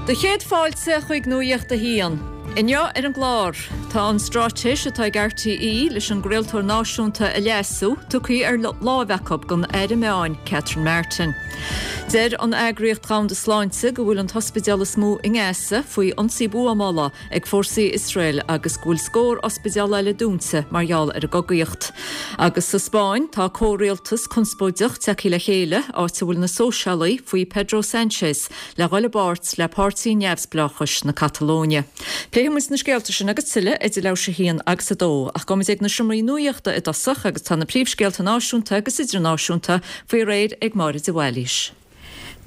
Do chéad fáilte chuig Nuacht a hAon. Inniu ar an gclár, tá an straitéis atá ag RTÉ leis an gcraoltóir náisiúnta a leasú tugtha ar láimh acu don Aire Meáin, Catherine Martin. Deir an Eagraíocht Dhomhanda Sláinte go bhfuil an t-ospidéal is mó i nGaza faoi ionsaí buamála ag fórsaí Iosrael agus go bhfuil scór ospidéal eile dúnta mar gheall ar an gcogaíocht. Agus sa Spáinn, tá comhrialtas conspóideach tagtha le chéile, áit a bhfuil na Sóisialaigh faoi Pedro Sanchez le dhul i bpáirt le Páirtí Neamhspleáchais na Catalóine. Pléifidh muid na scéalta sin agus tuilleadh idir leathuair tar éis a haon agus a dó. Ach gabhfaidh muid ag na seomraí nuachta i dtosach agus tá na príomhscéalta náisiúnta agus idirnáisiúnta faoi réir ag Máire de Bhailís.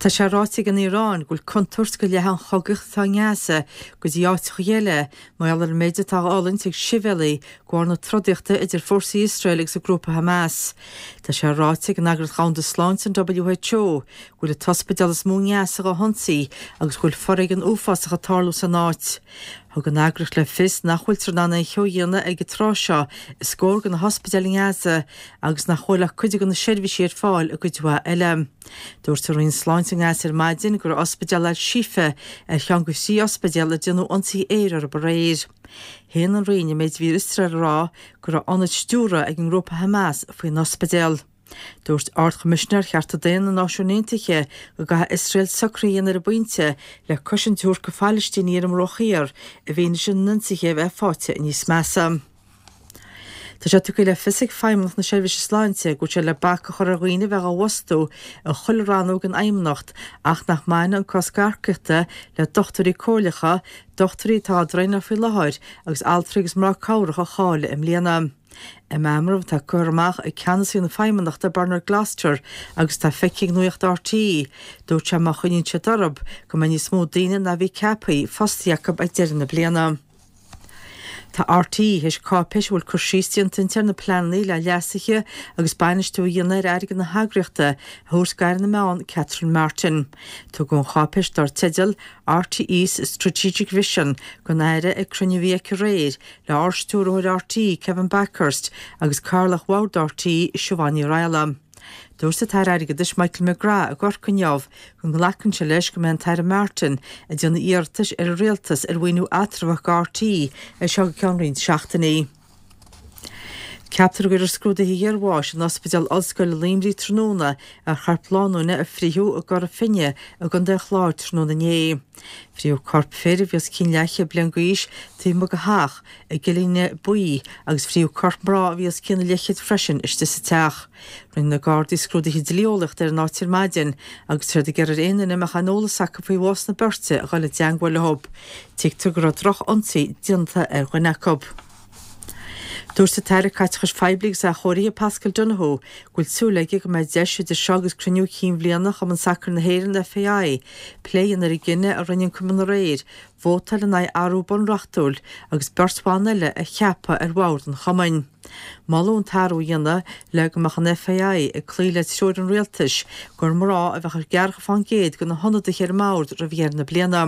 Tá sé ráite ag an Iaráin go bhfuil contúirt go leathfaidh an chogaíocht atá i nGaza go dtí áiteacha eile mar gheall ar an méid atá á fhulaingt ag sibhialaigh de bharr na trodaíochta idir fórsaí Iosrael agus an grúpa Hamas. Tá sé ráite ag an Eagraíocht Dhomhanda Sláinte, an WHO, go bhfuil an t-ospidéal is mó i nGaza dhá hionsaí agus go bhfuil foréigean uafásach ag tarlú san áit. Thug an eagraíocht le fios nach bhfuiltear in ann aon cheo a dhéanamh ag an tráth seo i scór de na hospidéil i nGaza agus nach bhfuil ach cuid de na seirbhísí ar fáil i gcuid mhaith eile. Dúirt an Roinn Sláinte i nGaza ar maidin go raibh ospidéal Al-Shifa ar cheann de thrí ospidéal ar déanadh ionsaí aeir orthu aréir. Shéan an Roinn an méid a bhí Iosrael a rá go raibh ionad stiúrtha ag an ngrúpa Hamas faoin ospidéal. Dúirt Ard-Choimisinéir Chearta Daonna na Náisiún Aontaithe go gcaithfidh Iosrael socruithe a dhéanamh ar an bpointe le cosaint a thabhairt do Phalaistínigh ar an mBruach Thiar i bhfianaise na n-ionsaithe a bheith faighte níos measa. Tá sé tugtha le fios ag Feidhmeannacht na Seirbhíse Sláinte go bhfuil sé le bac a chur ar dhaoine a bheith á bhfostú i chuile rannóg den Fheidhmeannacht ach nach mbainfidh an cosc earcaíochta le dochtúirí comhairleacha, dochtúirí atá á dtraenáil faoi láthair agus altraí agus mná cabhrach a cháiligh i mbliana. I meamram atá curtha amach ag ceannasaí na Feidhmeannachta Bernard Gloster agus atá feicthe ag Nuacht RTÉ, dúirt sé má choinníonn siad orthu go mbeidh níos mó daoine ná a bhí ceaptha fostaithe acu ag deireadh na bliana. Tá RTÉ théis cáipéis a bhfuil cur síos déanta inti ar na pleananna le leasuithe agus bainistiú a dhéanamh ar airgead na heagraíochta a thabhairt d'Aire na Meán Catherine Martin. Tugadh an cháipéis dar teideal RTÉ's Strategic Vision don Aire ag cruinniú a bhí aici aréir le Ardstiúrthóir RTÉ, Kevin Bakhurst, agus Cathaoirleach Bhord RTÉ, Siobhán Ní Raghallaigh. Dúirt an tAire Airgeadais Michael McGrath i gCorcaigh inniu go nglacann sé leis go mbeidh an tAire Martin ag déanamh iarratais ar an Rialtas ar mhaoiniú eatramhach do RTÉ as seo go ceann roinnt seachtainí. Ceaptar go gcuirfear scrúduithe iarbháis in Ospidéal Ollscoile Luimnigh tráthnóna ar chorp lánúine a frítheadh i gCora Finne i gContae an Chláir tráthnóna inné. Frítheadh corp fir a bhí os cionn leathchéad bliain d'aois taobh amuigh de theach i gCillín Buí agus frítheadh corp mná a bhí os cionn a leathchéid freisin istigh sa teach. Rinne na Gardaí scrúduithe dlí-eolaíochta ar an áit ar maidin agus tá siad ag iarraidh ar aon duine a mbeadh aon eolas acu faoi bhás na beirte a dhul i dteangmháil leo. Tuigtear go raibh droch-ionsaí déanta ar dhuine acu. Dúirt an tAire Caiteachais Phoiblí agus Athchóirithe Paschal Donohoe go bhfuil súil aige go mbeidh deis idir seo agus cruinniú cinn bhliana Chumann Sacair na hÉireann, FAI, plé a dhéanamh ar an gcinneadh a rinne an cumann aréir vótáil in aghaidh athrú bunreachtúil agus beirt bhan eile a cheapadh ar bhord an chumainn. Moladh an t-athrú a dhéanamh le go mbeadh an FAI ag cloí le treoir an rialtais gur mná a bheadh i gceathracha fán gcéad de na hionadaithe ar an mbord roimh dheireadh na bliana.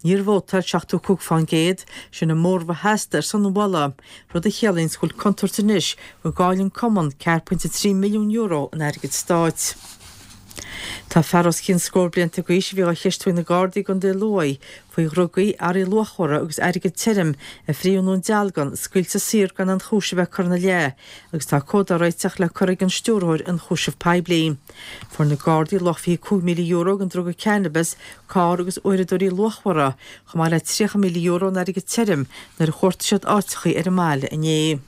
Níor vótáil 75%, sin an móramh a theastaigh ar son an mholadh, rud a chiallaíonns go bhfuil contúirt anois go gcaillfidh an cumann €4.3 milliún in airgead stáit. Tá fear os cionn scór blianta d'aois a bhí á cheistiú ag na Gardaí i gContae Lú faoi dhrugaí, earraí luachmhara agus airgead tirim a frítheadh i nDún Dealgan, scaoilte saor gan aon chúis a bheith curtha ina leith agus tá comhad á réiteach le cur ag an Stiúrthóir Ionchúiseamh Poiblí. Fuair na Gardaí luach €25,000 den druga cannabis, carr agus uaireadóirí luachmhara, chomh maith le €30,000 in airgead tirim nuair a chuartaigh siad áiteachaí ar an mbaile inné.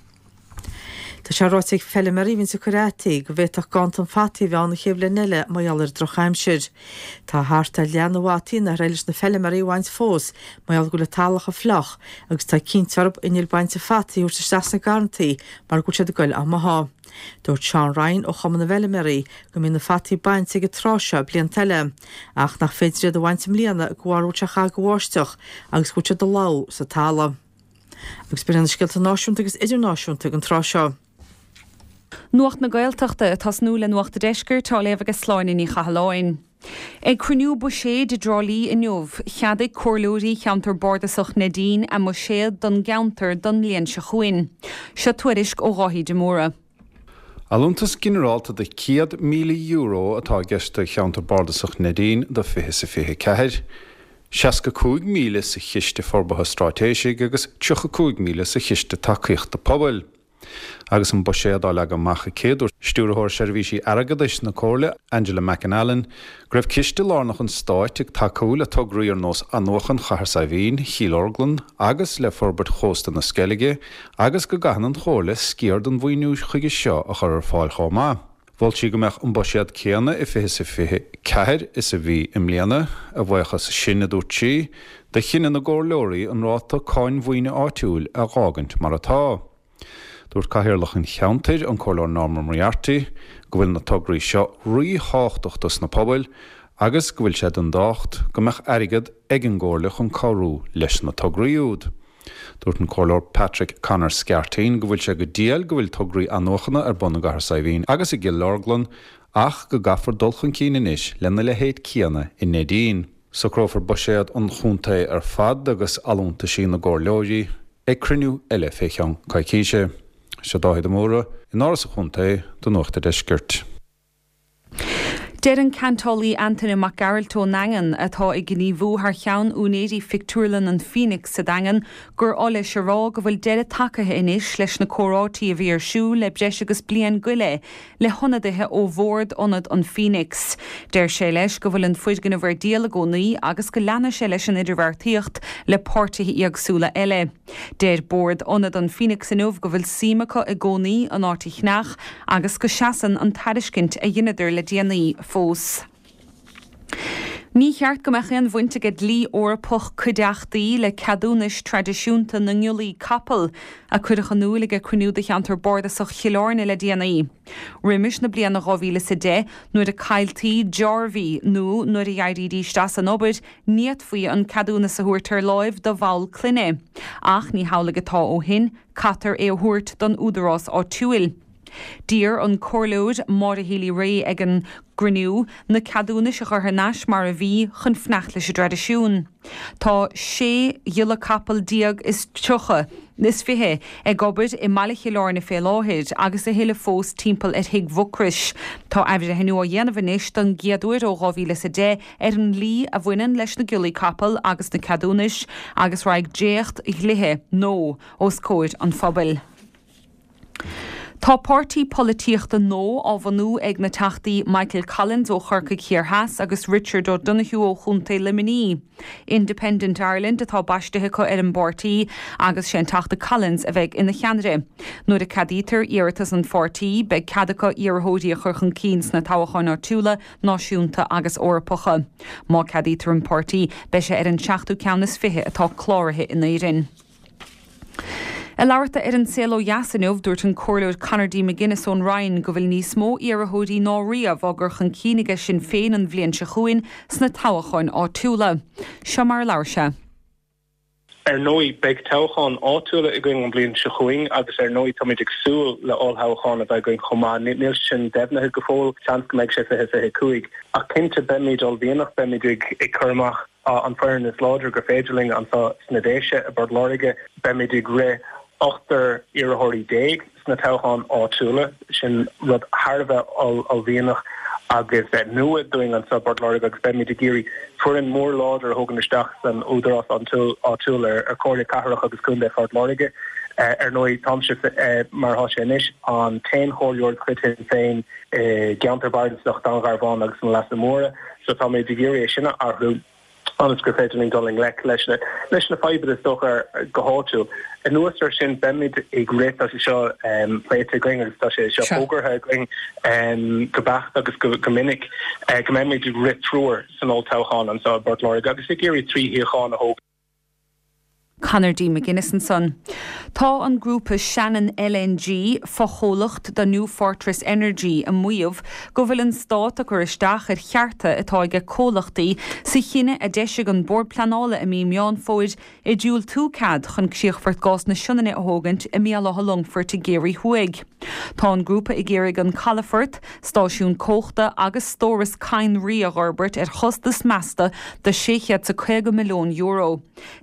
Tá sé ráite ag feilméaraí a bhíonns ag cur fhataí go bhféadfadh ganntan fataí a bheith ann an chéad bhliain eile mar gheall ar an drochaimsir. Tá thart ar leath na bhfataí nár éirigh leis na feilméaraí a bhaint fós mar gheall go bhfuil an talamh chomh fliuch agus tá cinnte orthu innill bainte fataí a thabhairt isteach sna garrantaí mar go bhfuil siad ag goil á mbothadh. Dúirt Seán Ryan ó Chumann na bhFeilméaraí go mbíonn na fataí bainte ag an tráth seo blianta eile ach nach féidir iad a bhaint i mbliana de bharr go bhfuil sé chomh lag ag bháisteach agus go bhfuil siad ag lobhadh sa talamh. Agus b'in iad na scéalta náisiúnta agus idirnáisiúnta ag an tráth seo. Nuacht na Gaeltachta, ag tosnú le Nuacht a' Deiscirt, á léamh aige Sláine Ní Chathalláin. Ag cruinniú buiséid i dTrá Lí inniu, cheadaigh comhairleoirí cheantar bardasach Neidín a mbuiséad don gceantar don mbliain seo chugainn. Seo tuairisc ó Dháithí de Mórdha. Allúntas ginearálta de €100,000 atá i gceist do cheantar bardasach Neidín do 20 is a 24. 65,000 sa Chiste Forbartha Straitéisigh agus 35,000 sa Chiste Tacaíochta Pobail. Agus an buiséad á leagadh amach aici, dúirt Stiúrthóir Seirbhísí Airgeadais na Comhairle, Angela McAnallen, go raibh ciste lárnach an stáit ag tacú le tograí ar nós athnuachan Chathair Saidhbhín, Chill Orglan agus le forbairt chósta na Sceilge agus go gcaitheann an Chomhairle sciar den mhaoiniú chuige seo a chur ar fáil chomh maith. Mhol sí go mbeadh an buiséad céanna i 20 is 24 is a bhí i mbliana, a bhuíochas sin, a dúirt sí, do chinneadh na gcomhairleoirí an ráta cáin mhaoine áitiúil a dh'fhágaint mar atá. Dúirt Cathaoirleach an cheantair, an Comhairleoir Norma Moriarty, go bhfuil na tograí seo ríthábhachtach dos na pobail agus go bhfuil sé den tábhacht go mbeadh airgead ag an gComhairle chun cabhrú leis na tograí úd. Dúirt an Comhairleoir Patrick Conor Scarteen go bhfuil sé go diail go bhfuil tograí athnuachana ar bun i gCathair Saidhbhín agus i gCill Orglan ach go gcaithfear dul chun cinn anois lena leithéid céanna i Neidín. Socrófar buiséad an chontae ar fad agus allúntaisí na gcomhairleoirí ag cruinniú eile fé cheann coicíse. Seo Dáithí de Mórdha in Áras an Chontae do Nuacht a' Deiscirt. Deir an ceantálaí Antaine Mac Gearailt ón nDaingean, atá ag gníomhú thar cheann úinéirí phictiúrlann an Phoenix sa Daingean, gur oth leis a rá go bhfuil deireadh tagaithe anois leis na comhráití a bhí ar siúl le breis agus bliain go leith le hionadaithe ó bhord Ionad an Phoenix. Deir sé leis go bhfuil an foirgneamh ar díol i gcónaí agus go leanfaidh sé leis an idirbheartaíocht le páirtithe éagsúla eile. Deir bord Ionad an Phoenix inniu go bhfuil suim acu i gcónaí an áit a cheannach agus go seasann an tairiscint a dheineadar le déanaí fós. Ní cheart go mbeadh aon bhaint aige dlí Eorpach cuideachtaí le ceadúnais traidisiúnta na ngiollaí capall, a cuireadh in iúil aige cruinniú de cheantar bardasach Chill Airne le déanaí. Roimis na bliana 2010, nuair a cailltí dearbhaí nó nuair a d'éirídís as an obair, ní fhéadfaí an ceadúnas a thabhairt ar láimh do bhall clainne. Ach ní hamhlaidh atá ó shin, caitear é a thabhairt don údarás áitiúil. D'iarr an Comhairleoir Maura Healy-Rae ag an gcruinniú na ceadúnais a chur thar n-ais mar a bhí chun fanacht leis an dtraidisiún. Tá 16 ghiolla capall is 30, is 20 ag obair i mbaile Chill Airne fé láthair agus a thuilleadh fós timpeall ar Thigh Mhucrois. Tá athbhreithniú á dhéanamh anois don gcéad uair ó 2010 ar an ndlí a bhaineann leis na giollaí capall agus na ceadúnais agus raghaidh dréacht dhlíthe nua os comhair an phobail. Tá páirtí polaitíochta nua á bhunú ag na Teachtaí Michael Collins ó Chorcaigh Thiar Theas agus Richard O'Donoghue ó Chontae Luimnigh. Independent Ireland atá baistithe acu ar an bpáirtí agus sé an Teachta Collins a bheidh ina cheannaire. Nuair a ceadaítear iarratas an pháirtí, beidh cead acu iarrthóirí a chur chun cinn sna toghcháin áitiúla, náisiúnta agus Eorpacha. Má ceadaítear an páirtí, beidh sé ar an seachtú ceann is 20 atá cláraithe in Éirinn. Ag labhairt dó ar An Saol Ó Dheas inniu, dúirt an Comhairleoir Conor D. McGuinness ón Rinn go bhfuil níos mó iarrthóirí ná riamh á gcur chun cinn aige Sinn Féin an bhliain seo chugainn sna toghcháin áitiúla. Seo mar a labhair sé. Ar ndóigh, beidh toghcháin áitiúla againn an bhliain seo chugainn agus ar ndóigh táimid ag súil le ollthoghchán a bheith againn chomh maith. Níl sin deimhnithe go fóill, seans go mbeidh sé 2025. Ach cinnte beimid uaillmhianach, beimid ag cur amach an foireann is láidre gur féidir linn anseo sna Déise i bPort Láirge. Beimid ag rith ochtar iarrthóirí sna toghcháin áitiúla. Sin rud thar a bheith uaillmhianach agus nua dúinn anseo i bPort Láirge agus beimid ag iarraidh foireann mór láidir a thógaint isteach san údarás áitiúil ar Chomhairle Cathrach agus Contae Phort Láirge. Ar ndóigh, táimse, mar atá sé anois, an t-aon chomhairleoir de chuid Shinn Féin i gceantar bardasach Dún Garbhán agus na Leasa Móire so táimid ag iarraidh é sin a athrú ionas gur féidir linn dul i ngleic leis na leis na fadhbanna is dócha go háitiúil. Anuas air sin beimid ag rith, tá sé seo pléite againn agus tá sé seo fógartha againn go beacht agus go minic, go mbeimid ag rith triúr san olltoghchán anseo i bPort Láirge agus ag iarraidh 3 shuíochán a thógaint. Conor D. McGuinness ansan. Tá an grúpa Shannon LNG, fochomhlacht de New Fortress Energy, ag maíomh go bhfuil an Stát ag cur isteach ar chearta atá aige comhlachtaí sa chinneadh a d'eisigh an Bord Pleanála i mí Meán Fómhair ag diúltú cead chun Críochfort Gás na Sionainne a thógaint i mBéal Átha Longfoirt i gCiarraí Thuaidh. Tá an grúpa ag iarraidh an calafort, stáisiún comhachta agus stóras cadhnraí a fhorbairt ar chostas measta de €650 milliún.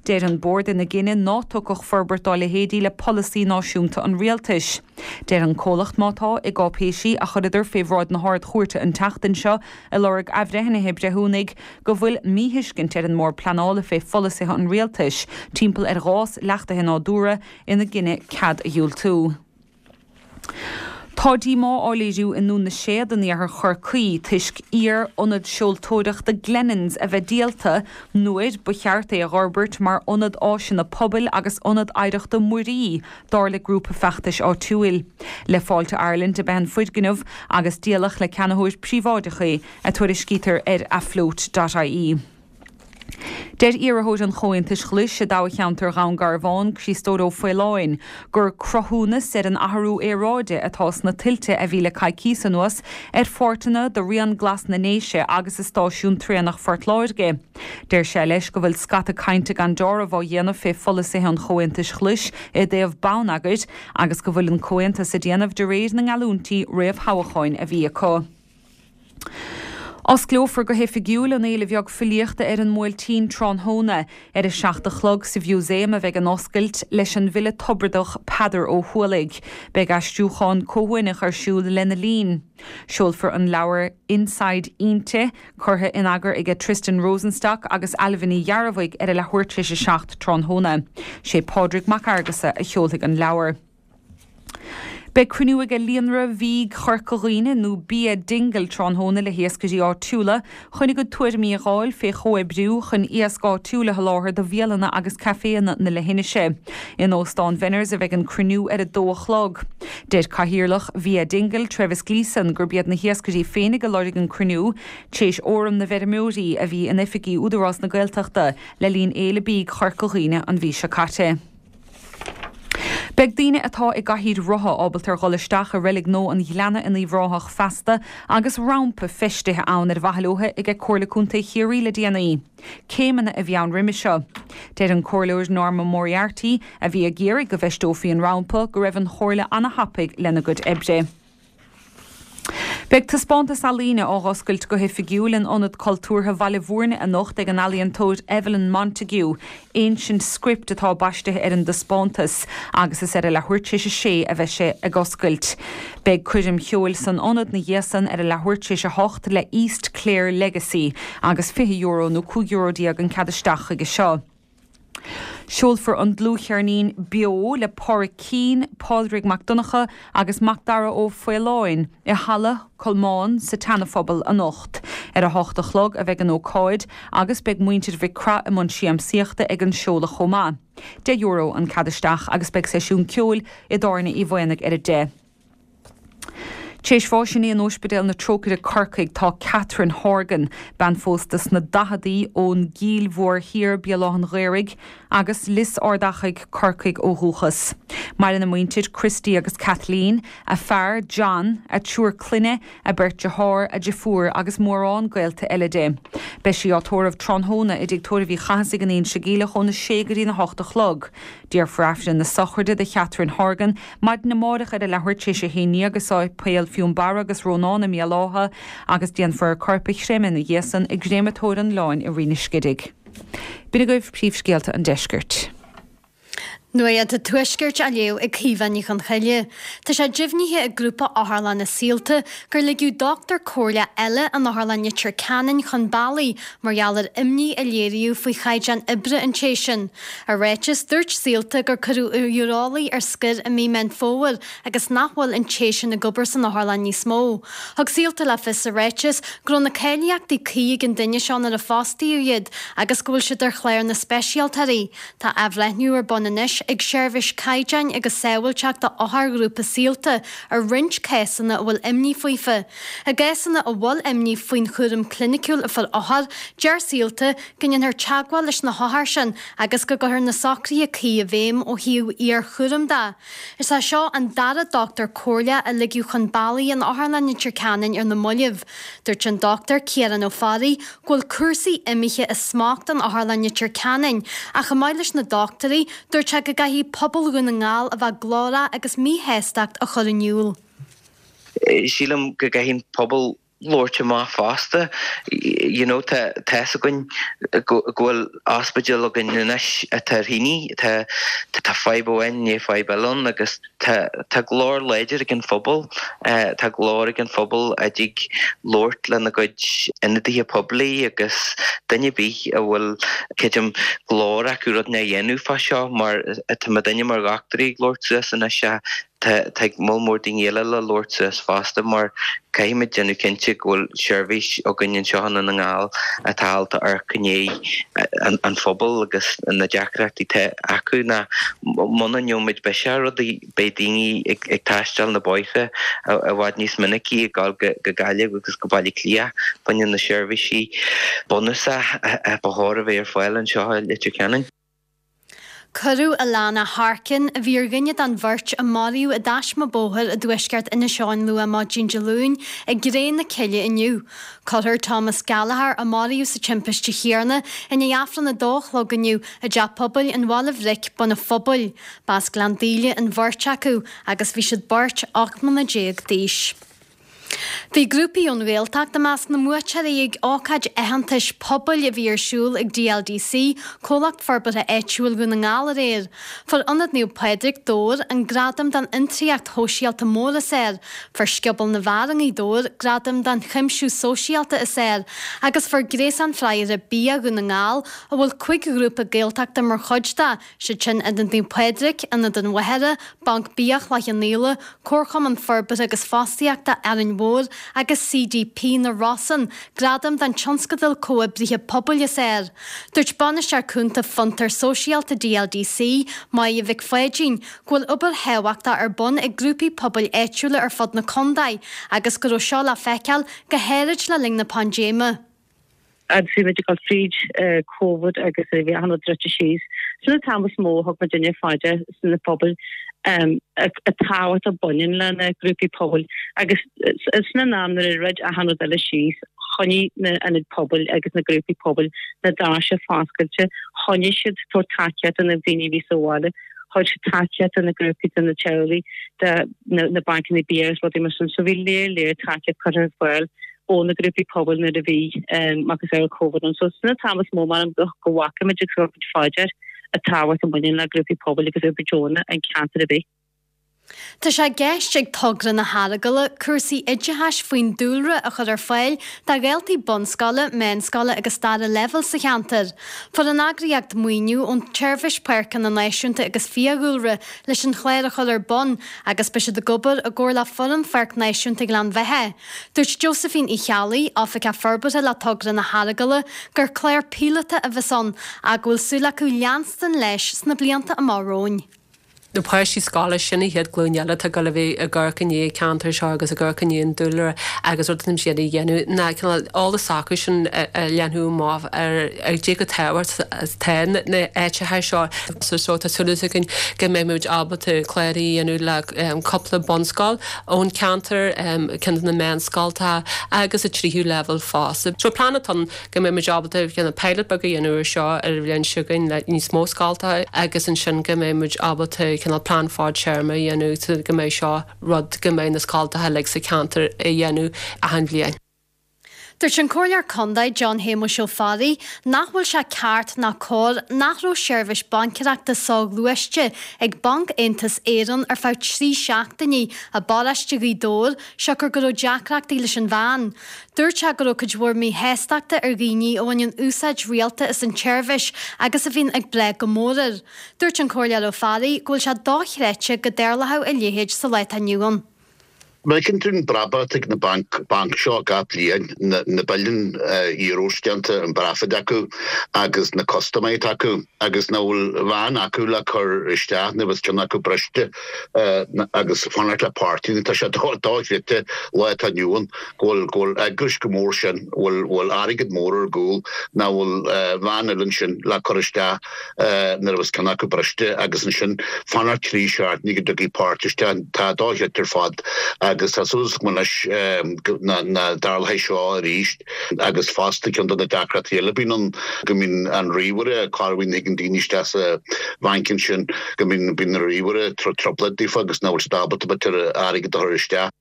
Deir an Bord ina. gcinneadh ná tiocfadh forbairt dá leithéidí le polasaí náisiúnta an rialtais. Deir an comhlacht, má tá, i gcáipéisí a chuireadar fé bhráid na hArd-Chúirte an tseachtain seo ag lorg athbhreithnithe breithiúnaigh, go bhfuil míthuiscint ar an mBord Pleanála fé pholasaithe an rialtais timpeall ar ghás leachtaithe nádúrtha ina gcinneadh cead a dhiúltú. Tá díomá á léiriú i nDún na Séad in iarthar Chorcaí toisc iar-ionad seoltóireachta Glennans a bheith díolta nuair ba cheart é a dh'fhorbairt mar ionad áiseanna pobail agus ionad oidhreachta muirí, dar le grúpa feachtais áitiúil. Le Fáilte Ireland ab ea an foirgneamh agus díoladh le ceannaitheoir príobháideach é, a tuairiscítear ar afloat dot ie. Deir iarrthóir an Chomhaontais Ghlais i dtoghcheantar Dhún Garbhán, Críostóir Ó Faoláin, gur cruthúnas ar an athrú aeráide atá sna tuilte a bhí le coicíos anuas ar pháirteanna de Rian Glas na nDéise agus i stáisiún traenach Phort Láirge. Deir sé leis go bhfuil scata cainte gan deáramh á dhéanamh fé pholasaithe an Chomhaontais Ghlais i dtaobh bonneagair agus go bhfuil an Comhaontas ag déanamh de réir na ngeallúintí réamhthoghcháin a bhí acu. Osclófar go hoifigiúil an Fhéile Bheag Filíochta ar an mBuailtín tráthnóna. Ar a 7 a chlog sa Mhúsaem a bheidh an oscailt, leis an bhfile Tobradach Peadar Ó hUallaigh. Beidh aistriúchán comhuaineach ar siúl lena linn. Seolfar an leabhar Inside Innti, curtha in eagar aige Tristan Rosenstock agus Ailbhe Ní Ghearbhuigh ar a leathuair tar éis a 7 tráthnóna. Sé Pádraig Mac Fhearghusa a sheolfaidh an leabhar. Beidh cruinniú aige Líonra Bhídh Chorca Dhuibhne nó Bia Dingle tráthnóna le hiascairí áitiúla chun a gcuid tuairimí a dh'fháil fé chomhoibriú chun iasc áitiúil a sholáthar do bhialanna agus caiféanna na leithinise. In Óstán Venners a bheidh an cruinniú ar a dó a chlog. Deir Cathaoirleach Bhia Dingle, Trevis Gleeson, gurb iad na hiascairí féinig a lorg an cruinniú, t'éis fhóram na bhfeirmeoirí a bhí in oifigí Údarás na Gaeltachta le linn Fhéile Bídh Chorca Dhuibhne an mhí seo caite. Beidh daoine atá i gcathaoir rotha ábalta ar dhul isteach i Reilig Nua an Ghleanna in Uíbh Ráthach feasta agus rampa feistithe ann ar mhaithe leo aige Comhairle Contae Chiarraí le déanaí. Céimeanna a bhí ann roimhe seo. Deir an Comhairleoir Norma Moriarty, a bhí ag iarraidh go bhfeisteofaí an rampa, go raibh an Chomhairle ana-thapaidh lena gcuid oibre. Beidh taispeántas ealaíne á dh'oscailt go hoifigiúil in Ionad Cultúrtha Bhaile Bhúirne anocht ag an ealaíontóir Evelyn Montague. Ancient Script atá baistithe ar an dtaispeántas agus is ar a leathuair tar éis a sé a bheidh sé ag oscailt. Beidh coirm cheoil san ionad 'na dhiaidh san ar a leathuair tar éis a hocht le East Clare Legacy agus €20 nó €15 an cead isteach chuige seo. Seolfar an dlúthcheirnín Beo le Pádraic Keane, Pádraig Mac Donncha agus Macdara Ó Faoláin i Halla Colmán sa tSeana-Phobal anocht. Ar a hocht a chlog a bheidh an ócáid agus beidh muintir Mhic Craith i mbun siamsaíochta ag an seoladh chomh maith. €10 an cead isteach agus beidh seisiún ceoil i dTábhairne Uí Mhaonaigh ar a deich. T'éis bháis inné in Óispidéal na Trócaire Corcaigh tá Catherine Horgan, bean phósta sna daicheadaí ón gCill Mhór Thiar, Béal Átha'n Ghaorthaidh, agus Lios Ard Achaidh, Corcaigh ó dhúchas. Maireann a muintir, Christy agus Kathleen, a fear, John, a triúr clainne, a beirt dearthár, a deirfiúr agus mórán gaolta eile di. Beidh sí á tórramh tráthnóna i dTigh Tórraimh Uí Chathasaigh in Inse Geimhleach óna sé go dtína hocht a chlog. Déarfar Aifreann na sochraide do Chatherine Horgan maidin amárach ar a leathuair tar éis a haon dhéag i Sáipéal Fionnbarra agus Rónán i mBéal Átha agus déanfar a corp a chreimeadh ina dhiaidh san i gcréamatóir an Oileáin i Rinn an Scidigh. B'in agaibh príomhscéalta an deiscirt. Nuacht an Tuaiscirt á léamh ag Caoimhe Ní Chonchoille. Tá sé deimhnithe ag grúpa otharlanna Saolta gur ligeadh dochtúir comhairleach eile in Otharlann Leitir Ceanainn chun bealaigh mar gheall ar imní a léiríodh faoi chaighdeán oibre an té sin. I ráiteas, dúirt Saolta gur cuireadh iúrólaí ar scor i mí Meán Fómhair agus nach bhfuil an té sin ag obair san otharlann níos mó. Thug Saolta le fios sa ráiteas go raibh na cáilíochtaí cuí ag an duine seo nuair a fostaíodh iad agus go bhfuil siad ar chlár na speisialtóirí. Tá athbhreithniú ar bun anois ag Seirbhís Caighdeáin agus Sábháilteachta Otharghrúpa Saolta ar roinnt cásanna a bhfuil imní faofa. I gcásanna a bhfuil imní faoin chúram cliniciúil a fuair othair, deir Saolta go ndéanfar teagmháil leis na hothair sin agus go gcuirfear na socruithe cuí i bhfeidhm ó thaobh iarchúraim de. Is é seo an dara dochtúir comhairleach a ligeadh chun bealaigh in Otharlann Leitir Ceanainn ar na moillibh. Dúirt an Dochtúir Ciarán Ó Fearraigh go bhfuil cúrsaí imithe as smacht in Otharlann Leitir Ceanainn ach chomh maith leis na dochtúirí, dúirt sé go gcaithfidh pobal Dhún na nGall a bheith glórach agus míshástacht a chur in iúl. Sílim go gcaithfidh an pobal. labhairt amach fosta. You know, tá tá's againn go bhfuil ospidéal againn anois atá ar thine, tá tá fadhb amháin i ndiaidh fadhb eile ann agus tá tá glór láidir ag an phobal, tá glór ag an phobal a dtig labhairt lena gcuid ionadaithe poiblí agus duine ar bith a bhfuil creidim glór acu rud inteacht a dhéanamh fá seo mar tá muidinne mar dhochtúirí ag labhairt suas anois Tá tá moll mór daoine eile le labhairt suas fosta mar caithfimid déanamh cinnte go bhfuil seirbhís againn anseo i nDún na nGall atá ábalta amharc i ndiaidh an phobail agus na deacrachtaí atá acu nó muna ndéanfaimid biseach ar rudaí beidh daoine ag ag taisteal na bóithre i bhfad níos minicí ag dul go go Gaillimh agus go Baile Átha Cliath fá choinne na seirbhísí bunúsach a ba chóir a bheith ar fáil anseo i Leitir Ceanainn. Cuireadh Alana Harkin, a bhí ar dhuine den bheirt a maraíodh i dtaisme bóthair i dtuaisceart Inis Eoghain luath maidin Dé Luain, i gcré na cille inniu. Cuirfear Thomas Gallagher, a maraíodh sa timpiste chéanna, i ndiaidh Aifreann a dó a chlog inniu i dTeach Pobail an Bhaile Bhric, Bun an Phobail. B'as Gleann Daoile an bheirt acu agus bhí siad beirt 18 mbliana d'aois. Bhí grúpaí ón Ghaeltacht i measc na mbuaiteoirí ag ócáid aitheantais pobail a bhí ar siúl ag DLDC, Comhlacht Forbartha Áitiúil Dhún na nGall aréir. Fuair Ionad Naomh Pádraig, Dobhar, an gradam don fhiontraíocht shóisialta mór is fhearr, fuair Scioból na bhFear i nGaoth Dobhair gradam don chuimsiú sóisialta is fhearr agus fuair Gréasán Fraochra Bia Dhún na nGall, a bhfuil 5 ghrúpa Gaeltachta mar chuid de, siad sin Ionad Naomh Pádraig, Ionad an Mhachaire, Banc Bia Chloich Cheann Fhaola, Comharchumann Forbartha agus Fostaíochta Árainn Mhór agus CDP na Rosann, gradam don Tionscadal Comhoibrithe Pobail is Fhearr. Dúirt Bainisteoir Cúnta Fiontar Sóisialta DLDC, Máire Mhic Pháidín, go bhfuil obair thábhachtach ar bun ag grúpaí pobail áitiúla ar fud na contae agus go raibh seo le feiceáil go háirid le linn na paindéime. Agus bhí muid ag dul fríd Covid agus bhí achan rud druidte síos. Sin an t-am is mó a thug muidinne fá dear sna pobail an tábhacht a bhaineann le na grúpaí pobail agus sin an am nuair a dhruid achan rud eile síos, choinnigh na ionaid pobail agus na grúpaí pobail na doirse foscailte, choinnigh siad ag tabhairt tacaíocht do na daoine a bhí sa bhaile, chuir siad tacaíocht do na grúpaí, do na teaghlaigh, do na bancanna bia agus rudaí mar sin. So bhí léar léar tacaíocht curtha ar fáil. ó na grúpaí pobail nuair a bhí macasamhail Covid ann. So sin an t-am is mó measaim go bhfaca muid agus thug muid fá dear an tábhacht a bhaineann le grúpaí pobail agus obair deonach in ceantar ar bith. Tá sé i gceist ag Togra na hEaragaile cúrsaí oideachais faoin dúlra a chur ar fáil do dhaltaí bunscoile, meánscoile agus dara leibhéal sa cheantar. Fuair an eagraíocht maoiniú ón tSeirbhís Páirceanna Náisiúnta agus Fiadhúlra leis an chlár a chur ar bun agus beidh siad ag obair i gcomhar le foireann Pháirc Náisiúnta Ghleann Bheatha. Dúirt Josephine Uí Cheallaigh, Oifigeach Forbartha le Togra na hEaragaile, gur clár píolóta a bheas ann ach go bhfuil súil acu leanstan leis sna blianta amach romhainn. Na páistí scoile, sin an chéad ghlúin eile atá ag dul a bheith ag amharc i ndiaidh an cheantair seo agus ag amharc i ndiaidh an dúlra agus rud atá siad a dhéanamh ná cineál eolas s'acu sin a leathnú amach ar cad é chomh tábhachtach atá na áiteacha seo. So tá súil againn go mbeidh muid ábalta clár a dhéanamh le cúpla bunscoil ón cheantar, ceann de na meánscoltacha agus an tríú leibhéal fosta. So plean atá ann go mbeidh muid ábalta cineál pilot beag a dhéanamh ar seo ar an bhliain seo chugainn le níos mó scoltacha agus ansin go mbeidh muid ábalta cineál plean fadtéarma a dhéanamh so go mbeidh seo rud go mbeidh na scoltacha uilig sa cheantar a dhéanamh achan bhliain. Dúirt an Comhairleoir Contae John Shéamuis Ó Fearraigh nach bhfuil sé ceart ná cóir nach raibh seirbhís baincéireachta soghluaiste ag Banc Aontas Éireann ar feadh 3 seachtainí i bparóiste Ghaoth Dobhair siocair go raibh deacrachtaí leis an veain. Dúirt sé go raibh cuid mhór míshástachta ar dhaoine a bhaineann úsáid rialta as an tseirbhís agus a bhíonn ag brath go mór air. Dúirt an Comhairleoir Ó Fearraigh go bhfuil sé dochreidte go dtarlódh a leithéid sa lá atá inniu ann. Má fheiceann tú an brabach atá ag na banc banc seo gach bliain, na na billiún euros déanta an profit acu agus na custaiméirí atá acu agus nach bhfuil veain acu le cur isteach nuair a bheas ceann acu briste agus fanacht le páirtí tá sé dochreidte lá atá inniu ann go bhfuil go bhfuil eagrais chomh mór sin bhfuil bhfuil airgead mór ar gcúl nach bhfuil veain eile ansin le cur isteach nuair a bheas ceann acu briste agus ansin fanacht trí seachtaine go dtiocfaidh páirt isteach. Tá dochreidte ar fad agus tá súil agam anois nach dtarlóidh seo arís agus fosta ceann de na deacrachtaí eile a bhíonn ann go mbíonn an ríomhaire corruair a thigeann daoine isteach sa bhanc ansin go mbíonn bíonn an ríomhaire ag trioblóid daofa agus nach bhfuil siad ábalta b'fhéidir airgead a chur isteach.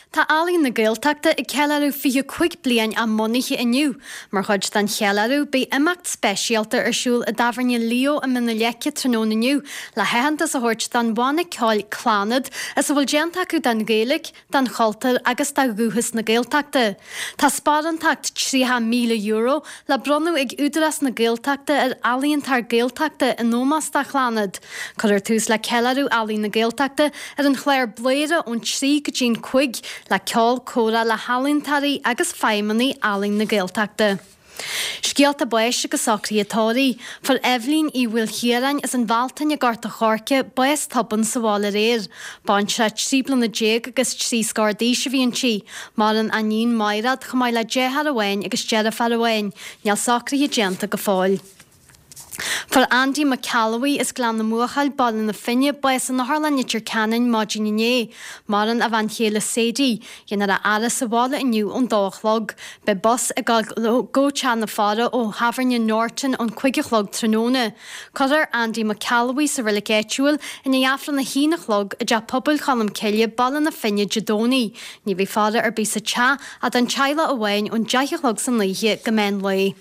Tá Ealaín na Gaeltachta ag ceiliúradh 25 bliain á mbunaithe inniu. Mar chuid den cheiliúradh, beidh imeacht speisialta ar siúl i dTábhairne Leo i mBinn na Leice tráthnóna inniu le haitheantas a thabhairt don bhanna ceoil Clannad as a bhfuil déanta acu don Ghaeilge, don chultúr agus do dhúchas na Gaeltachta. Tá sparántacht €30,000 le bronnadh ag Údarás na Gaeltachta ar ealaíontóir Gaeltachta in ómós do Chlannad. Cuirfear tús le ceiliúradh Ealaín na Gaeltachta ar an chlár Bladhaire ón 3 go dtí'n 5 le ceol comhrá le healaíontóirí agus feidhmeannaigh Ealaín na Gaeltachta. Scéalta báis agus socruithe tórraimh. Fuair Eibhlín Uí Mhaoilchiaráin as an Bhealtaine i nGort a' Choirce bás tobann sa bhaile aréir. Baintreach 13 bliana agus trí scór d'aois a bhí inti. Maireann a iníon Máiréad chomh maith le deartháir amháin agus deirfiúr amháin. Níl socruithe déanta go fóill. Fuair Andy Mac Ceallabhuí as Gleann na mBuachaill, Baile na Finne, bás in Otharlann Leitir Ceanainn maidin inné. Maireann a bhean chéile Sadie. Déanfar a fhaire sa bhaile inniu ón dó a chlog. Beidh bus ag dul go Teach na Faire ó Thábhairne Norton ón cuig a chlog tráthnóna. Cuirfear Andy Mac Ceallabhuí sa reilig áitiúil i ndiaidh Aifreann a haon a chlog i dTeach Pobail Cholm Cille, Baile na Finne, Dé Domhnaigh. Ní bheidh faire ar bith sa teach ach don teaghlach amháin ón deich a chlog san oíche go meán lae.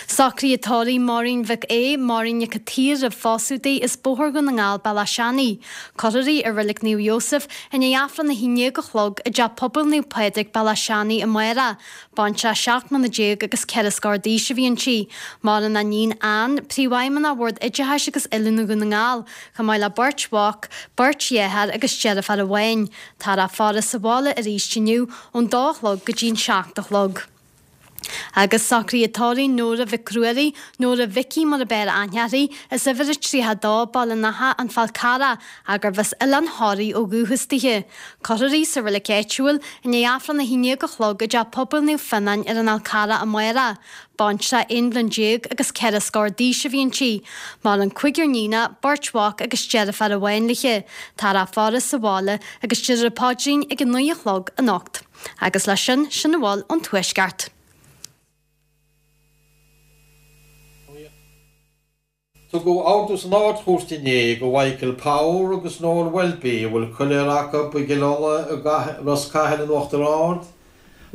Socruithe tórraimh Máirín Mhic Aodha, Máirín Nic a' tSaoir roimh phósadh di, as Bóthar Dhún na nGall, Bealach Seanaidh. Cuirfear í i Reilig Naomh Iósaf i ndiaidh Aifreann 11 a chlog i dTeach Pobail Naomh Pádraig, Bealach Seanaidh amárach. Baintreach 17 mbliana agus ceithre scór d'aois a bhí inti. Maireann a iníon Ann, Príomhfheidhmeannach Bhord Oideachais agus Oiliúna Dhún na nGall, chomh maith le beirt mhac, beirt dhearthár agus deirfiúr amháin. Táthar á faire sa bhaile arís inniu ón dó a chlog go dtí'n seacht a chlog. Agus socruithe tórraimh Nóra Mhic Ruairí, Nóra Mhicí mar ab fhearr aithne uirthi, as uimhir a 32, Baile an Átha, An Fál Carrach, gurbh as Oileán Thoraí ó dhúchas dithe. Cuirfear í sa reilig áitiúil, i ndiaidh Aifreann 11 a chlog i dTeach Pobail Naomh Fionnáin ar an Fhál Carrach amárach. Baintreach aon bhliain déag agus ceithre scór d'aois a bhí inti. Maireann cúigear níonach, beirt mhac agus deirfiúr amháin léi. Táthar á faire sa bhaile agus déarfar an paidrín ag a naoi a chlog anocht. Agus leis sin, sin a bhfuil ón Tuaisceart. Tugadh ordú san Ard-Chúirt inné do Mhichael Power agus Noel Welby, a bhfuil coiléar acu i gCill Uladh i Ros Cathail in Uachtar Ard,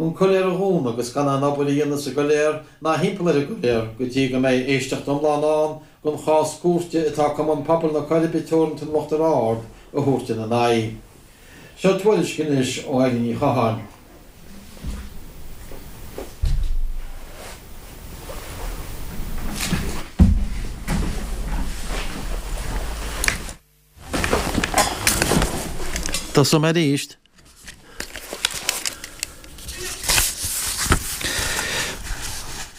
an coiléar a dhúnadh agus gan aon obair a dhéanamh sa gcoiléar ná thimpeall ar an gcoiléar go dtí go mbeidh éisteacht iomlán ann den chás cúirte atá Cumann Pobail na Coiribe Teoranta in Uachtar Ard a thabhairt ina n-aghaidh. Seo tuairisc anois ó Eilín Ní Chatháin. Tosóidh mé arís.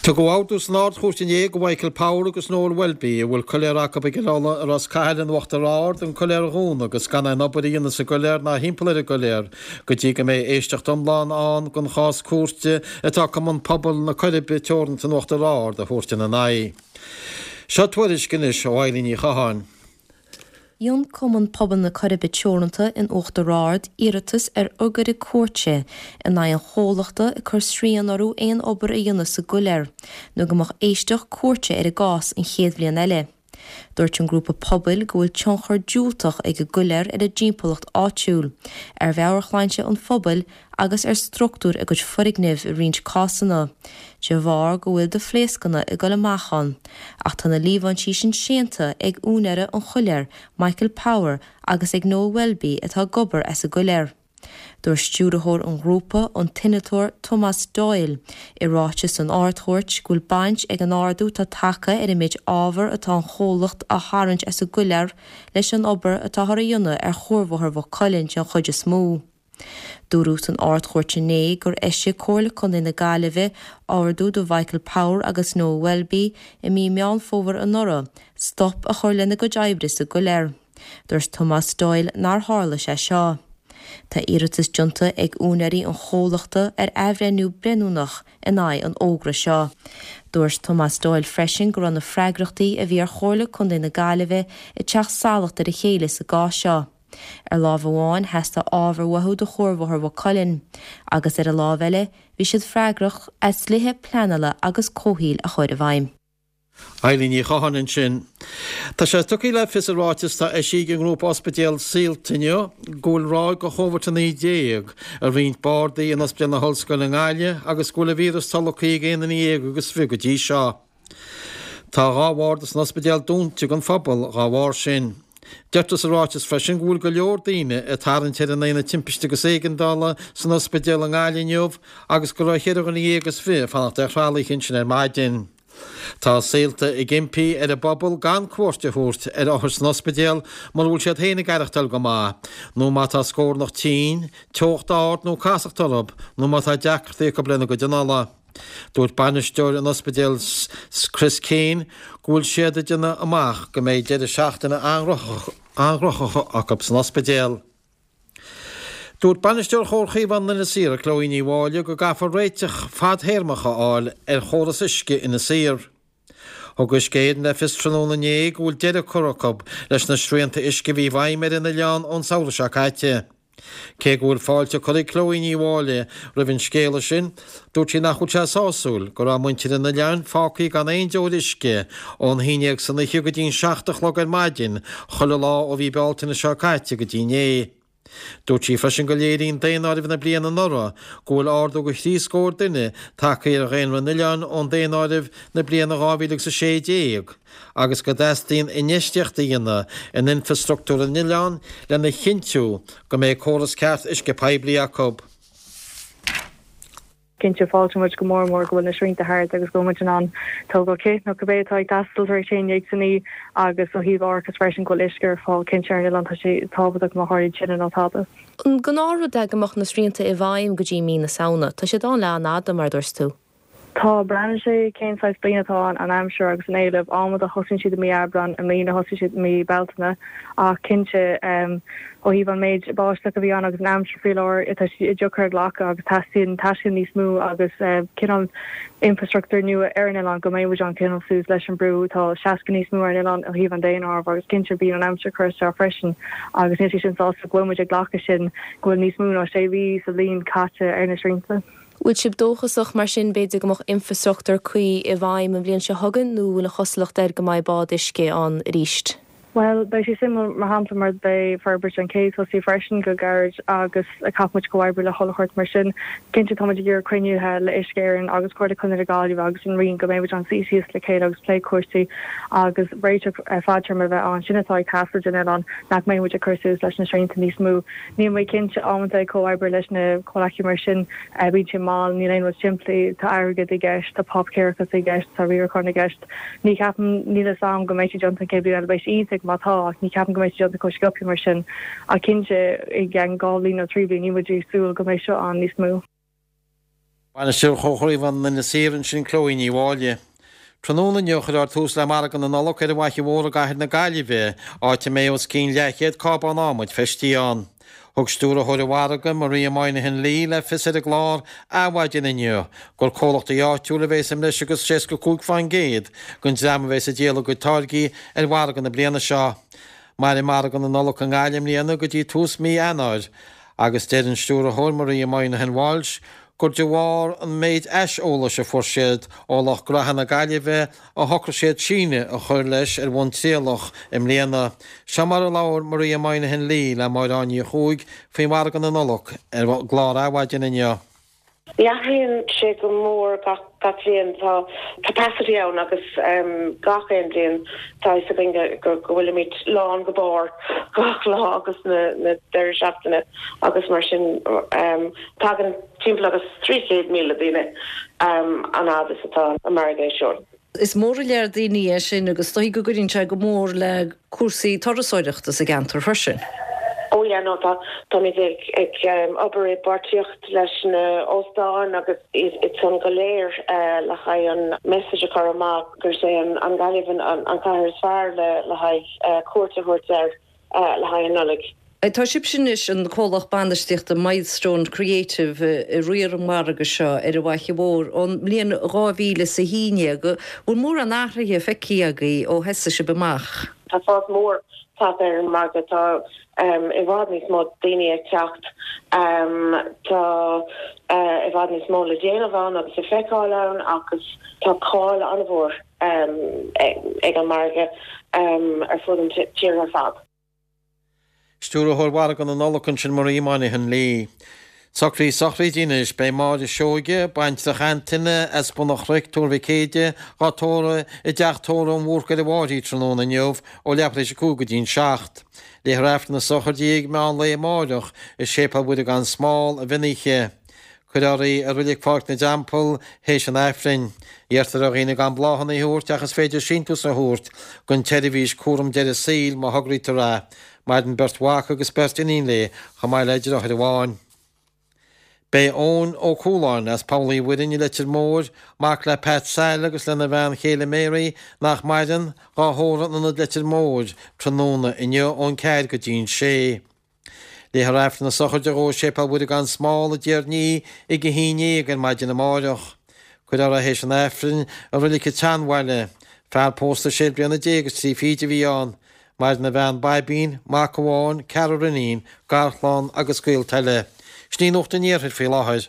Tugadh ordú san Ard-Chúirt inné do Mhichael Power agus Noel Welby, a bhfuil coiléar acu i gCill Uladh i Ros Cathail in Uachtar Ard, an coiléar a dhúnadh agus gan aon obair a dhéanamh sa gcoiléar ná thimpeall ar an gcoiléar go dtí go mbeidh éisteacht iomlán ann den chás cúirte atá Cumann Pobail na Coiribe Teoranta in Uachtar Ard a thabhairt ina n-aghaidh. Seo tuairisc anois ó Eilín Ní Chatháin. Dhein Cumann Pobail na Coiribe Teoranta in Uachtar Ard iarratas ar fhógra cúirte in aghaidh an chomhlachta ag cur srian orthu aon obair a dhéanamh sa gcoiléar nó go mbeadh éisteacht cúirte ar an gcás an chéad bhliain eile. Dúirt an grúpa pobail go bhfuil tionchar diúltach ag an gcoiléar ar an dtimpeallacht áitiúil, ar mheabhairshláinte an phobail agus ar struchtúr a gcuid foirgneamh i roinnt cásanna, de bharr go bhfuil de phléascanna ag dul amach ann. Ach tá na líomhaintí sin séanta ag úinéara an choiléir, Michael Power, agus ag Noel Welby atá ag obair as an gcoiléar. Dúirt stiúrthóir an ghrúpa, an t-innealtóir Tomás Doyle, i ráiteas san Ard-Chúirt go bhfuil baint ag an ardú atá tagtha ar an méid ábhar atá an chomhlacht a tharraingt as an gcoiléar leis an obair atáthar a dhéanamh ar Chuarbhóthar Mhaigh Cuilinn den chuid is mó. Dúradh san Ard-Chúirt inné gur eisigh Comhairle Contae na Gaillimhe ordú do Mhichael Power agus Noel Welby i mí Meán Fómhair anuraidh stop a chur lena gcuid oibre sa gcoiléar. Dúirt Tomás Doyle nár tharla sé seo. Tá iarratas déanta ag úinéirí an chomhlachta ar athbhreithniú breithiúnach in aghaidh an fhógra seo. Dúirt Tomás Doyle freisin go raibh na freagrachtaí a bhí ar Chomhairle Contae na Gaillimhe ag teacht salach ar a chéile sa gcás seo. Ar láimh amháin, theastaigh ábhar uathu do Chuarbhóthar Mhaigh Cuilinn, agus ar an láimh eile, bhí siad freagrach as dlíthe pleanála agus comhshaoil a chur i bhfeidhm. Eilín Ní Chatháin ansin. Tá sé tugtha le fios i ráiteas atá eisithe ag an ngrúpa ospidéal Saolta inniu go bhfuil ráig de Chóvid-19 i roinnt bardaí in Ospidéal na hOllscoile i nGaillimh agus go bhfuil an víreas tolgtha ag aon duine dhéag agus fiche go dtí seo. Tá 2 bharda san ospidéal dúnta don phobal dhá bharr sin. Deirtear sa ráiteas freisin go bhfuil go leor daoine ag tarraingt ar an Aonad Timpiste agus Éigeandála san ospidéal i nGaillimh inniu agus go raibh cheithre dhuine dhéag is fiche ag fanacht ar thralaithe ansin ar maidin. Tá Saolta ag impí ar an bpobal gan cuairt a thabhairt ar othair san ospidéal mura bhfuil siad féin ag aireachtáil go maith, nó má tá scornach tinn, teocht ard nó casacht orthu, nó má tá deacrachtaí acu lena gcuid anála. Dúirt bainisteoir an ospidéil Chris Keane go bhfuil siad ag déanamh amach go mbeidh deireadh seachtaine an-ghnóthach acu san ospidéal. Dúirt bainisteoir Chomhar Chaomhán Inis Oírr, Chloe Ní Mháille, go gcaithfear réiteach fadthéarmach a fháil ar chóras uisce Inis Oírr. Thug Uisce Éireann le fios tráthnóna inné go bhfuil deireadh curtha acu leis na srianta uisce a bhí i bhfeidhm ar an oileán ón samhradh seo caite. Cé go bhfuil fáilte curtha ag Chloe Ní Mháille roimh an scéala sin, dúirt sí nach bhfuil sé sásúil go raibh muintir an oileáin fágtha gan aon deoir uisce ón haon dhéag san oíche go dtí an 7 a chlog ar maidin chuile lá ó mhí Bealtaine seo caite go dtí inné. Dúirt sí freisin go léiríonn daonáireamh na bliana anuraidh go bhfuil ardú de thrí scór duine tagtha ar dhaonra an oileáin ón daonáireamh na bliana 2016 agus go dteastaíonn infheistíocht a dhéanamh in infreastruchtúr an oileáin lena chinntiú go mbeidh córas ceart uisce poiblí acu. Cinnte, fáiltíonn muid go mór mór go bhfuil na srianta thart agus go bhfuil muid in ann tógáil cith nó cibé atá ag teastáil tar éis 11 san oíche agus ó thaobh árachas freisin go bhfuil uisce ar fáil cinnte ar an oileán tá sé tábhachtach má tharlaíonn tine nó tada. An gnáthrud é go mbeadh na srianta i bhfeidhm go dtí mí na Samhna? Tá siad ann le an-fhada, mar a dúirt tú. Tá, braitheann sé cén saghas bliain atá ann, an aimsir agus an éileamh. Amanta thosaíonn siad i mí Aibreáin, i mbliana thosaigh siad i mí Bealtaine. Ach cinnte, ó thaobh an méid báisteach a bhí ann agus an aimsir faoi láthair, tá sé deacair a ghlacadh agus teastaíonn taistil níos mó agus cineál infreastruchtúr nua ar an oileán go mbeidh muid in ann coinneáil suas leis an brú. Tá seasca níos mó ar an oileán ó thaobh an daonáirimh agus cinnte bíonn an aimsir ag cur isteach freisin agus níl sé sin sásúil go bhfuil muid ag glacadh sin go bhfuil níos mó ná sé mhí sa bhliain caite ar na srianta. Bhfuil sibh dóchasach, mar sin, b'fhéidir go mbeadh infreastruchtúr cuí i bhfeidhm an bhliain seo chugainn nó bhfuil an chosúlacht air go mbeidh bád uisce ann arís? Bhuel, beidh sé suimiúil, mar shampla, mar beidh forbairt an ché tosaithe freisin go gairid agus caithfidh muid comhoibriú le chuile shórt mar sin. Cinnte, tá muid ag iarraidh cruinnithe le Uisce Éireann agus Comhairle Contae na Gaillimhe agus an Roinn go mbeidh muid in ann suí síos le chéile agus plé cúrsaí agus réiteach fadtéarma a bheith ann. Sin atá ag teastáil don oileán, nach mbeidh muid ag cur suas leis na srianta níos mó. Níl mé cinnte, amanta ag comhoibriú leis na comhlachaí mar sin, bíonn sé mall, níl aon rud simplí, tá airgead i gceist, tá páipéarachas i gceist, tá riarachán i gceist. Ní cheapaim, níl a fhios a'm go mbeidh sé déanta an chéad bhliain eile, beidh sé iontach má tá, ach ní cheapaim go mbeidh sé déanta chomh sciobtha mar sin. Ach cinnte, i gceann 2 bhliain nó 3 bhliain, níl muid ag súil go mbeidh seo ann níos mó. Bainisteoir Chomhar Chaomhán Inis Oírr ansin Chloe Ní Mháille. Tráthnóna inniu cuirfear tús le Margadh na Nollag ar an bhFaiche Mhór i gcathair na Gaillimhe, áit a mbeidh os cionn leathchéad cábán adhmaid feistithe ann. Thug stiúrthóir an mhargaidh, Maria Moynihan Lee, le fios ar an gclár Adhmhaidin inniu gur comhlachtaí áitiúla a bheas i mbreis agus 65% den dream a bheas ag díol a gcuid táirgí ar mhargadh na bliana seo. Mairfidh Margadh na Nollag i nGaillimh i mbliana go dtí tús mí Eanáir agus deir an stiúrthóir Maria Moynihan Walsh gur de bharr an méid aiseolais a fuair siad ó lucht gnaithe na Gaillimhe a shocraigh siad síneadh a chur leis ar bhonn trialach i mbliana. Seo mar a labhair Maria Moynihan Lee le Máire Áine Ní Chuaig faoi Mhargadh na Nollag ar an gclár Adhmhaidin inniu. Ní athraíonn sé go mór gach bliain. Tá capacity ann agus gach aon bhliain tá fhios againn go bhfuilimid lán go barr gach lá agus na deireadh seachtaine agus mar sin tagann timpeall agus 300,000 daoine an fhad is atá an margadh ar siúl. Is mór an lear daoine é sin agus is dóigh go gcuireann sé go mór le cúrsaí turasóireachta sa gceantar freisin. Oh yeah no tá táimid ag ag obair i bpáirtíocht leis na óstáin agus iad san go léir le haghaidh an message a chur amach gur é an Ghaillimh an an cathair is fearr le le haghaidh cuairt a thabhairt air. le haghaidh an Nollaig. Tá sibhse anois, an comhlacht bainistíochta Milestone Creative, ag riar an mhargaidh seo ar an bhFaiche Mhór ón mbliain 2011. Bhfuil mórán athraithe feicthe agaibh ó thosaigh sibh amach? Tá fás mór tagtha ar an margadh. Tá. i bhfad níos mó daoine ag teacht, tá i bhfad níos mó le déanamh ann agus le feiceáil ann agus tá cáil an-mhór ag an margadh ar fud an tíre ar fad. Stiúrthóir Mhargadh na Nollag ansin Marie Moynihan Lee. Socruithe sochraide anois. Beidh Máire Seoige, baintreach Antaine, as Bun an Chnoic, Tuar Mhic Éide, dhá tórramh i dteach tórraimh an Bhúrcaigh ar an bhFairche tráthnóna inniu ó leathuair tar éis a 5 go dtí'n 7. Léifear Aifreann na sochraide ag meán lae amáireach i Séipéal Mhuire gan Smál, an Mhionchoill. Cuirfear í i Reilig Pháirc na dTeampall théis an Aifrinn. Iarrtar ar dhaoine gan bláthanna a thabhairt ach is féidir síntiús a thabhairt don tseirbhís cúram deireadh saoil má thograítear é. Maireann beirt mhac agus beirt iníon léi chomh maith le deartháir amháin. Beidh Eoin Ó Cualáin as Poll Uí Mhuirinn i Leitir Móir, mac le Pat Sal agus lena bhean chéile Mary, nach maireann, dhá thórramh in Ionad Leitir Móir tráthnóna inniu ón ceathair go dtí'n sé. Léifear Aifreann na sochraide dhó i Séipéal Mhuire gan Smál i dTír an Fhia ag a 11 ar maidin amáireach. Cuirfear é théis an Aifrinn i Reilig an tSeanbhaile. Fear pósta sé bliana déag is trí fichid a bhí ann. Maireann a bhean Baibín, mac amháin, ceathrar iníon, garchlann agus gaolta eile. Sin í Nuacht an Iarthair faoi láthair.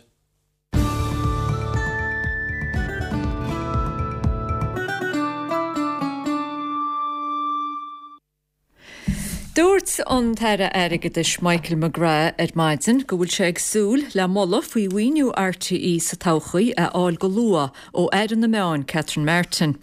Dúirt an tAire Airgeadais Michael McGrath ar maidin go bhfuil sé ag súil le moladh faoi mhaoiniú RTÉ sa todhchaí a fháil go luath ó Aire na Meán Catherine Martin.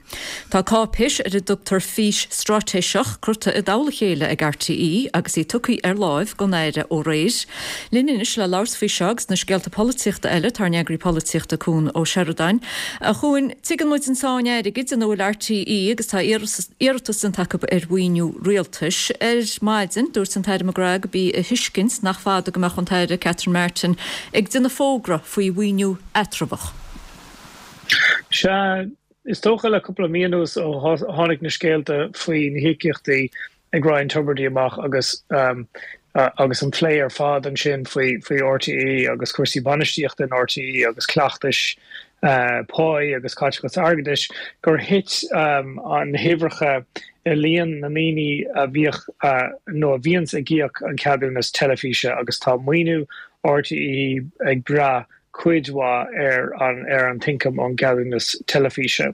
Tá cáipéis ar a dtugtar Fís Straitéiseach curtha i dtoll a chéile ag RTÉ agus í tugtha ar láimh don Aire ó aréir. Linn anois le labhairt faoi seo agus na scéalta polaitíochta eile tá ár n-eagraí polaitíochta Cuan Ó Seireadáin. A Chuain, tuigeann muid an tsáinn airgid ina bhfuil RTÉ agus tá iarratas déanta acu ar mhaoiniú rialtais. Ar maidin, dúirt an tAire McGrath go b'í a thuiscint nach fada go mbeadh an tAire Catherine Martin ag déanamh fógra faoi mhaoiniú eatramhach. Sea, is dócha le cúpla mí anuas ó tháinig na scéalta faoi na híocaíochtaí ag Ryan Tubridy amach agus agus an plé ar fad ansin faoi faoi RTÉ agus cúrsaí bainistíochta in RTÉ agus cleachtais páí agus caiteachas airgeadais, gur thit na huimhreacha i líon na ndaoine a bhíodh nó a bhíonns ag íoc an ceadúnas teilifíse agus tá maoiniú RTÉ ag brath cuid mhaith ar an ar an t-ioncam ón gceadúnas teilifíse.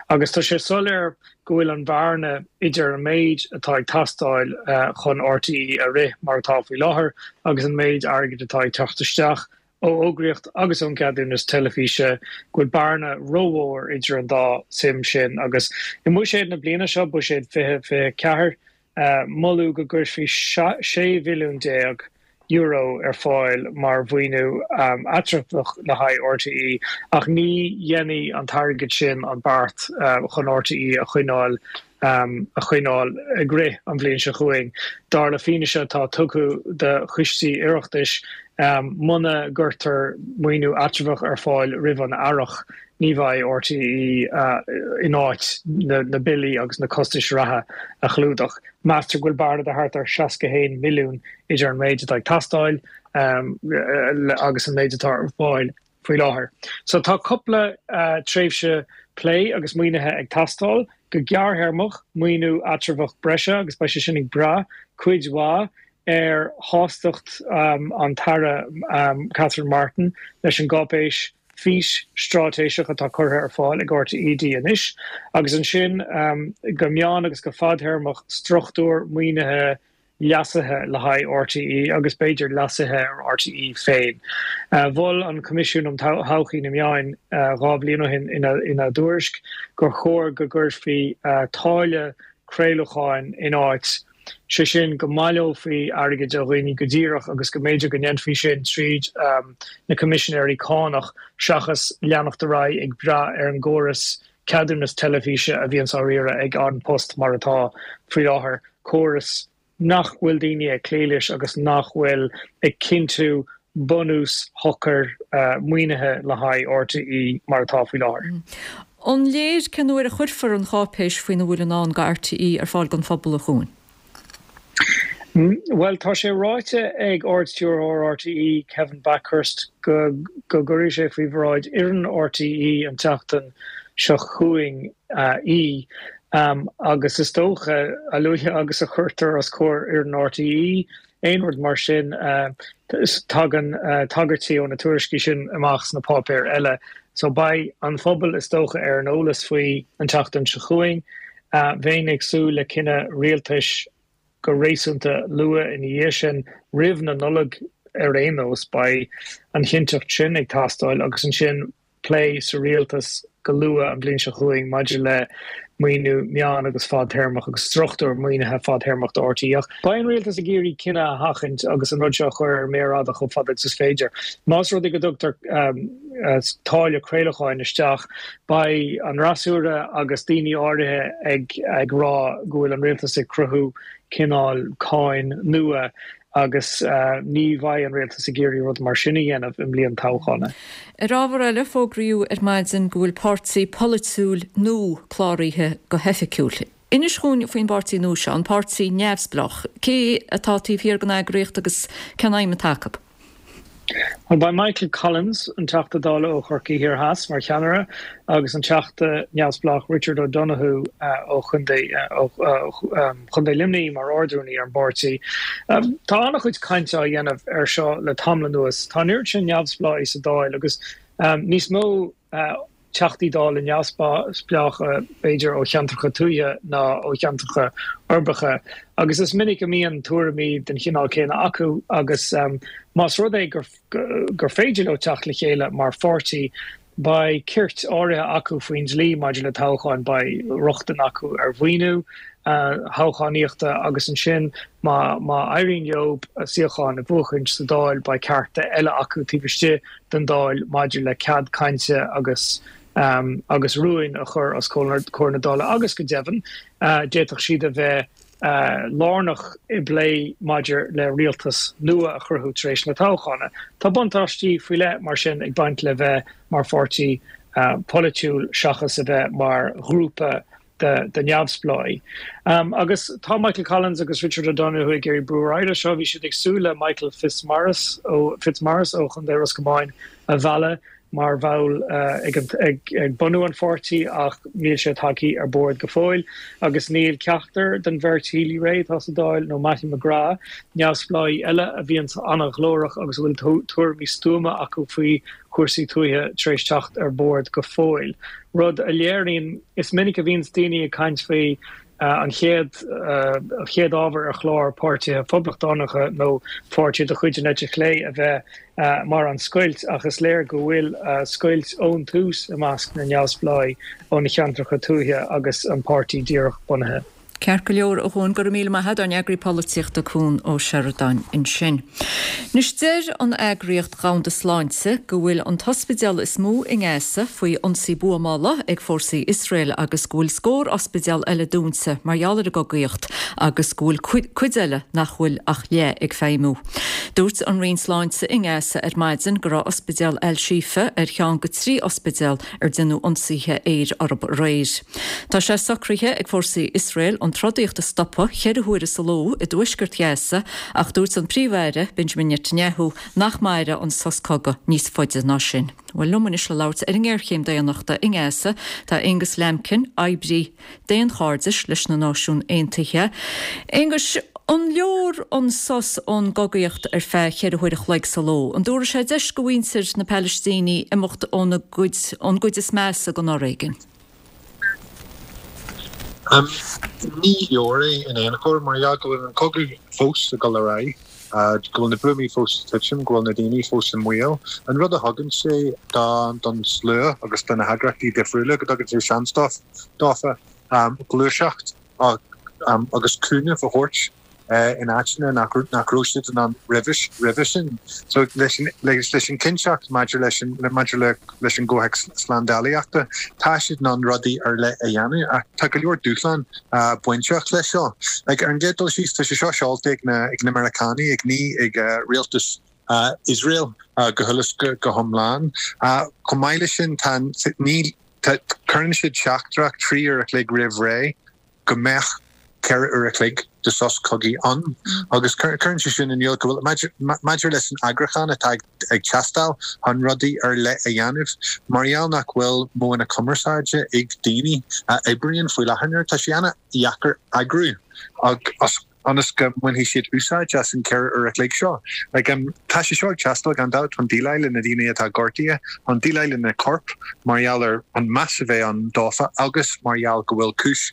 Agus tá sé soiléir go bhfuil an bhearna idir an méid atá ag teastáil chun RTÉ a rith mar atá faoi láthair agus an méid airgid atá ag teacht isteach ó fhógraíocht agus ón gceadúnas teilifíse, go bhfuil bearna rómhór idir an dá suim sin. Agus i mbuiséad na bliana seo, buiséad 2024, Moladh go gcuirfí €16 mhilliún ar fáil mar mhaoiniú eatramhach le haghaidh RTÉ ach ní dhéanfaidh an t-airgead sin an beart chun RTÉ a choinneáil a choinneáil ag rith an bhliain seo chugainn. Dar le fianaise atá tugtha do choistí Oireachtais, muna gcuirtear maoiniú eatramhach ar fáil roimh an earrach, ní bheidh RTÉ in áit na billí agus na costais reatha a chlúdach. Meastar go bhfuil bearna de thart ar 61 milliún idir an méid atá ag teastáil agus an méid atá ar fáil faoi láthair. So tá cúpla tréimhse plé agus maoinithe ag teastáil. Go gearrthéarmach, maoiniú eatramhach breise agus beidh sé sin ag brath cuid mhaith ar shástacht an tAire Catherine Martin leis an gcáipéis Fís Straitéiseach atá curtha ar fáil ag RTÉ di anois, agus ansin go meán agus go fadthéarmach struchtúr maoinithe leasaithe le haghaidh RTÉ agus b'fhéidir leasuithe ar RTÉ féin. Mhol an Coimisiún um Thodhchaí na Meáin 2 bhliain ó shin ina dtuairisc gur chóir go gcuirfí táille craolacháin in áit, sé sin go mbaileofaí airgead ó dhaoine go díreach agus go mb'fhéidir go ndéanfaí sin tríd na Coimisinéirí Cánach seachas leanacht ar aghaidh ag brath ar an gcóras ceadúnas teilifíse a bhíonns á riaradh ag An Post mar atá faoi láthair, córas nach bhfuil daoine ag cloí leis agus nach bhfuil ag cinntiú bunús shocair maoinithe le haghaidh RTÉ mar atá faoi láthair. An léir cén uair a chuirfear an cháipéis faoina bhfuil i ndán do RTÉ ar fáil don phobal, a Chuain? Bhuel, tá sé ráite ag Ard-Stiúrthóir RTÉ, Kevin Bakhurst, go gcuirfidh sé faoi bhráid fhoireann RTÉ an tseachtain seo chugainn í agus is dócha, a luaithe agus a chuirtear os comhair fhoireann RTÉ í. aon rud mar sin, tagann tagairtí ó na tuairiscí sin amach sna páipéir eile. So beidh an phobal is dócha ar an eolas faoi an tseachtain seo chugainn. Bheinn ag súil le cinneadh rialtais go réasúnta luath ina dhiaidh sin, roimh na Nollag ar aon nós. Beidh an chinnteacht sin ag teastáil agus ansin plé sa rialtas go luath an bhliain seo chugainn maidir le maoiniú meán agus fadtéarmach agus struchtúr maoinithe fadtéarmach do RTÉ. Ach beidh an rialtas ag iarraidh cinneadh a sheachaint agus an rud seo a chur ar an méar fhada chomh fada agus is féidir. Más rud é go dtugtar táille craolacháin isteach, beidh an fhreasúra agus daoine áirithe ag ag rá go bhfuil an rialtas ag cruthú cineál cáin nua agus ní bheidh an rialtas ag iarraidh rud mar sin a dhéanamh i mbliain toghchána. Ar ábhar eile, fógraíodh ar maidin go bhfuil páirtí polaitiúil nua cláraithe go hoifigiúil. Inis dhúinn faoin bpáirtí nua seo, an Páirtí Neamhspleách. Cé atá taobh thiar den eagraíocht agus cén aidhm atá acu? Bhuel, beidh Michael Collins, an Teachta Dála ó Chorcaigh Thiar Theas, mar cheannaire agus an Teachta neamhspleách Richard O'Donoghue ó Chontae Chontae Luimnigh mar Ard-Rúnaí ar an bpáirtí. Tá an-chuid cainte á dhéanamh air seo le tamall anuas. Tá an oiread sin neamhspleáigh sa Dáil agus níos mó Teachtaí Dála neamhspleácha, b'fhéidir, ó cheantracha tuaithe ná ó cheantracha uirbeacha, agus is minic a mbíonn tuairimí den chineál céanna acu agus más rud é gur féidir leo teacht le chéile mar pháirtí, beidh cirt áirithe acu faoin dlí maidir le toghcháin, beidh rochtain acu ar mhaoiniú toghchánaíochta agus ansin má éiríonn leo suíocháin a bhuachaint sa Dáil beidh cearta eile acu taobh istigh den Dáil maidir le cead cainte agus agus rúin a chur os comhair na Dála agus go deimhin d'fhéadfadh siad a bheith lárnach i bplé maidir le rialtas nua a chruthú tar éis na toghchána. Tá buntáistí faoi leith mar sin ag baint le bheith mar pháirtí polaitiúil seachas a bheith mar ghrúpa de neamhspleáigh. Agus tá Michael Collins agus Richard O'Donoghue ag iarraidh brú ar aghaidh leis seo. Bhí siad ag súil le Michael Fitzmaurice ó Fitzmaurice ó Chontae Ros Comáin a mhealladh mar bhall ag ag bunú an pháirtí ach níl sé tagtha ar bord go fóill. Agus níl ceachtar den bheirt Healy-Rae atá sa Dáil nó Mattie McGrath, neamhspleáigh eile a bhíonns an-ghlórach agus a bhfuil tuairimí stuama acu faoi chúrsaí tuaithe tar éis teacht ar bord go fóill. Rud a léiríonn, is minic a bhíonns daoine ag caint faoi an chéad an chéad ábhar ar chlár páirtithe phoblachtánacha nó pháirtithe de chuid an eite chlé a bheith mar an scoilt ach is léir go bhfuil scoilt ón tús i measc na neamhspleáigh ó na ceantracha tuaithe agus an páirtí díreach bunaithe. Ceart go leor, a Chuain, go raibh míle maith agat, ár n-eagraí polaitíochta Cuan Ó Seireadáin ansin. Anois deir an Eagraíocht Dhomhanda Sláinte go bhfuil an t-ospidéal is mó i nGaza faoi ionsaí buamála ag fórsaí Iosrael agus go bhfuil scór ospidéal eile dúnta mar gheall ar an gcogaíocht agus go bhfuil cuid eile nach bhfuil ach leath ag feidhmiú. Dúirt an Roinn Sláinte i nGaza ar maidin go raibh ospidéal Al-Shifa ar cheann de thrí ospidéal ar déanadh ionsaithe aeir orthu aréir. Tá sé socraithe ag fórsaí Iosrael an trodaíocht a stopadh cheithre huaire sa ló i dtuaisceart Ghaza ach dúirt an Príomh-Aire, Benjamin Netanyahu, nach mairfeadh an sos cogaidh níos faide ná sin. Bhuel, liom anois le labhairt ar an ngéarchéim daonnachta i nGaza tá Aonghus Lambkin, oibrí daonchairdis leis na Náisiúin Aontaithe. Aonghus, an leor an sos ón gcogaíocht ar feadh cheithre huaire a chloig sa ló? An dtabharfaidh sé deis go mhuintir na Palaistínigh imeacht óna gcuid, ón gcuid is measa den fhoréigean? Ní leor é in aon chor, mar gheall go bhfuil an cogadh fós ag dul ar aghaidh, go bhfuil na buamaí fós ag titim, go bhfuil na daoine fós i mbaol. An rud a thugann sé don slua agus do na heagraíochtaí difriúla, go dtugann sé seans dófa gluaiseacht agus cúnamh a thabhairt in áiteanna nach raibh siad in ann roimhe sin. So leis an chinnteacht maidir leis an maidir le leis an gcomhthéacs slándálaíochta, tá siad in ann rudaí ar leith a dhéanamh ach tá go leor dúshlán bainteach leis seo. Like ar an gcéad dul síos, tá sé seo seolta ag na ag na Meiriceánaigh, ag ní ag rialtas Iosrael go huile is go hiomlán. Chomh maith leis sin, tá ní cuireann siad teachtaireacht 3 uair a chloig roimh ré go mbeadh 4 uair a chloig de sos cogaidh ann agus cuireann sé sin in iúl go bhfuil, maidir leis an eagrúchán atá ag teastáil chun rudaí ar leith a dhéanamh, mar gheall nach bhfuil modhanna cumarsáide ag daoine a oibríonn faoi láthair, tá sé an-dheacair eagrú agus. ionas go mbainfidh siad úsáid as an 4 uair a chloig seo. Like, tá sé seo ag teastáil gan dabht chun déileáil le na daoine atá gortaithe, chun déileáil le na coirp mar gheall ar an meas a bheith ann dófa agus mar gheall go bhfuil cúis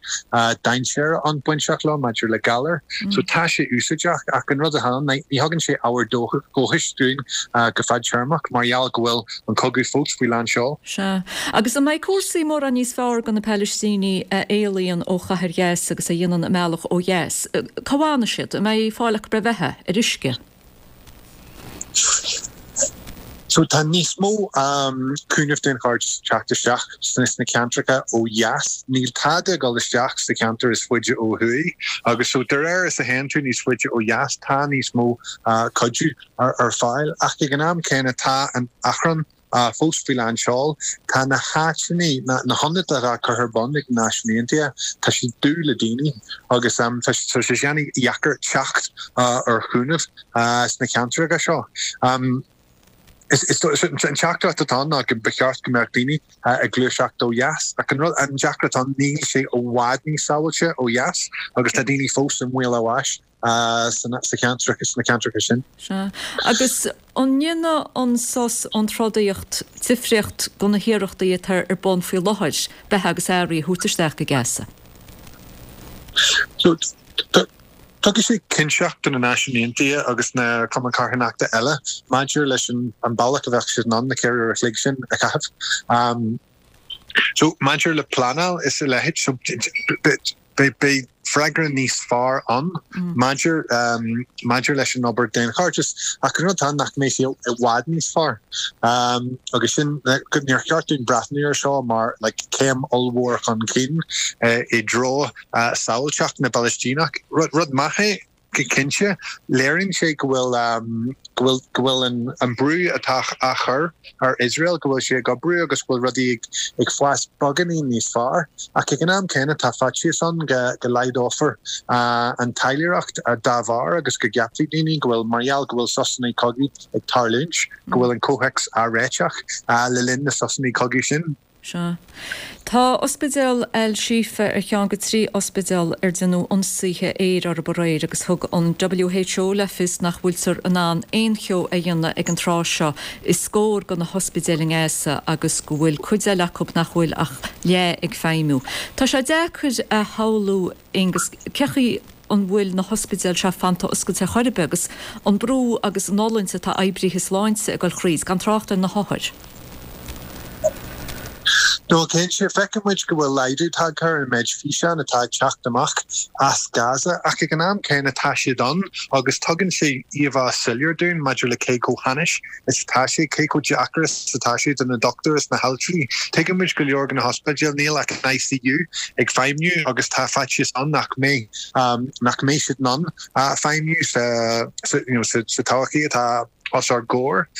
dainséir ann bainteach leo maidir le galar. So tá sé úsáideach ach an rud atá ann, ní thugann sé ábhar dóchais dúinn go fadtéarmach mar gheall go bhfuil an cogadh fós faoi lán seol. Sea. Agus an mbeidh cúrsaí mórán níos fearr do na Palaistínigh a éalaíonn ó chathair Ghaza agus a dhéanann a mbealach ó dheas? Cá bhfanfaidh siad? An mbeidh fáil acu ar bheatha? Ar uisce? So tá níos mó cúnamh daonchairdis ag teacht isteach sna ceantracha ó dheas. Níl tada ag dul isteach sa cheantar is faide ó thuaidh agus so de réir is a théann tú níos faide ó dheas tá níos mó cuidiú ar fáil ach ag an am céanna tá an achrann fós faoi lán seoil. Tá na háiteanna, na hionaid atá curtha ar bun ag na Náisiúin Aontaithe, tá siad dubh le daoine agus tá sé an-dheacair teacht ar chúnamh sna ceantracha seo. An teachtaireacht atá ann ná go ba cheart go mbeadh daoine ag gluaiseacht ó dheas ach an rud, an deacracht atá ann, níl sé i bhfad níos sábháilte ó dheas agus tá daoine fós i mbaol a bháis. sna ceantracha sin. Sea. Agus an ndéanfaidh an sos ón trodaíocht difríocht do na hiarrachtaí atá ar bun faoi láthair beatha agus earraí a thabhairt isteach go Gaza? So, tugfaidh sé cinnteacht do na Náisiúin Aontaithe agus na cumainn carthanachta eile maidir leis an bealach a bheadh siad in ann na 4 uair a chloig sin a chaitheamh. So, maidir le pleanáil is a leithéid, so, beidh freagra níos fearr ann maidir maidir leis an obair daonchairdis ach an rud atá ann nach mbeidh sé i bhfad níos fearr. Agus sin, níor cheart dúinn breathnú air seo mar like céim ollmhór chun cinn i dtreo sábháilteacht na bPalaistíneach. Rud maith é. Cinnte, léiríonn sé go bhfuil go bhfuil go bhfuil an an brú atá á chur ar Iosrael, go bhfuil sé ag oibriú agus go bhfuil rudaí ag ag fás beagáinín níos fearr. Ach ag an am céanna tá faitíos ann go go laghdófar an taidhleoireacht dá bharr agus go gceapfaidh daoine go bhfuil, mar gheall go bhfuil sosanna cogaidh ag tarlúint, go bhfuil an comhthéacs á réiteach le linn na sosanna cogaidh sin. Sea. Tá Ospidéal Al Shifa ar cheann de thrí ospidéal ar déanadh ionsaithe aeir orthu aréir agus thug an WHO le fios nach bhfuiltear in ann aon cheo a dhéanamh ag an tráth seo i scór de na hospidéil i nGaza agus go bhfuil cuid eile acu nach bhfuil ach leath ag feidhmiú. Tá sé deacair a shamhlú Aengus, cén chaoi an bhfuil na hospidéil seo fanta oscailte ar chor ar bith agus an brú agus an fhulaingt atá oibrithe sláinte ag dul thríd, gan trácht ar na hothair. No, cinnte, feiceann muid go bhfuil laghdú tagtha ar an méid físeán atá ag teacht amach as Gaza, ach ag an am céanna tá siad ann agus tugann sé íomhá soiléir dúinn maidir le cé chomh hainnis is atá sé, cé chomh deacair is atá sé do na dochtúirí is na haltraí. Tuigeann muid go leor de na hospidéil, níl ach an ICU ag feidhmiú agus tá faitíos ann nach mbeidh, nach mbeidh siad in ann feidhmiú sa, you know, sa todhchaí atá os ár gcomhair.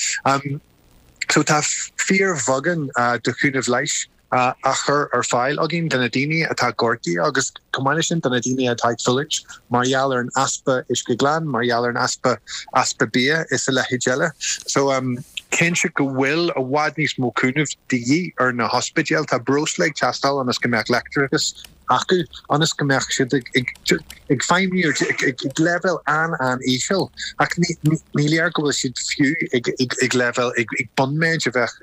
So tá fíorbheagán de chúnamh leighis á chur ar fáil againn do na daoine atá gortaithe agus chomh maith leis sin do na daoine atá ag fulaingt mar gheall ar an easpa uisce glan, mar gheall ar an easpa easpa bia is a leithéid eile. So cinnte go bhfuil i bhfad níos mó cúnamh de dhíth ar na hospidéil. Tá breosla ag teastáil ionas go mbeadh leictreachas acu ionas go mbeadh siad ag feidhmiú ag leibhéal an-an-íseal ach ní léir go bhfuil siad fiú ag leibhéal ag bunméid a bheadh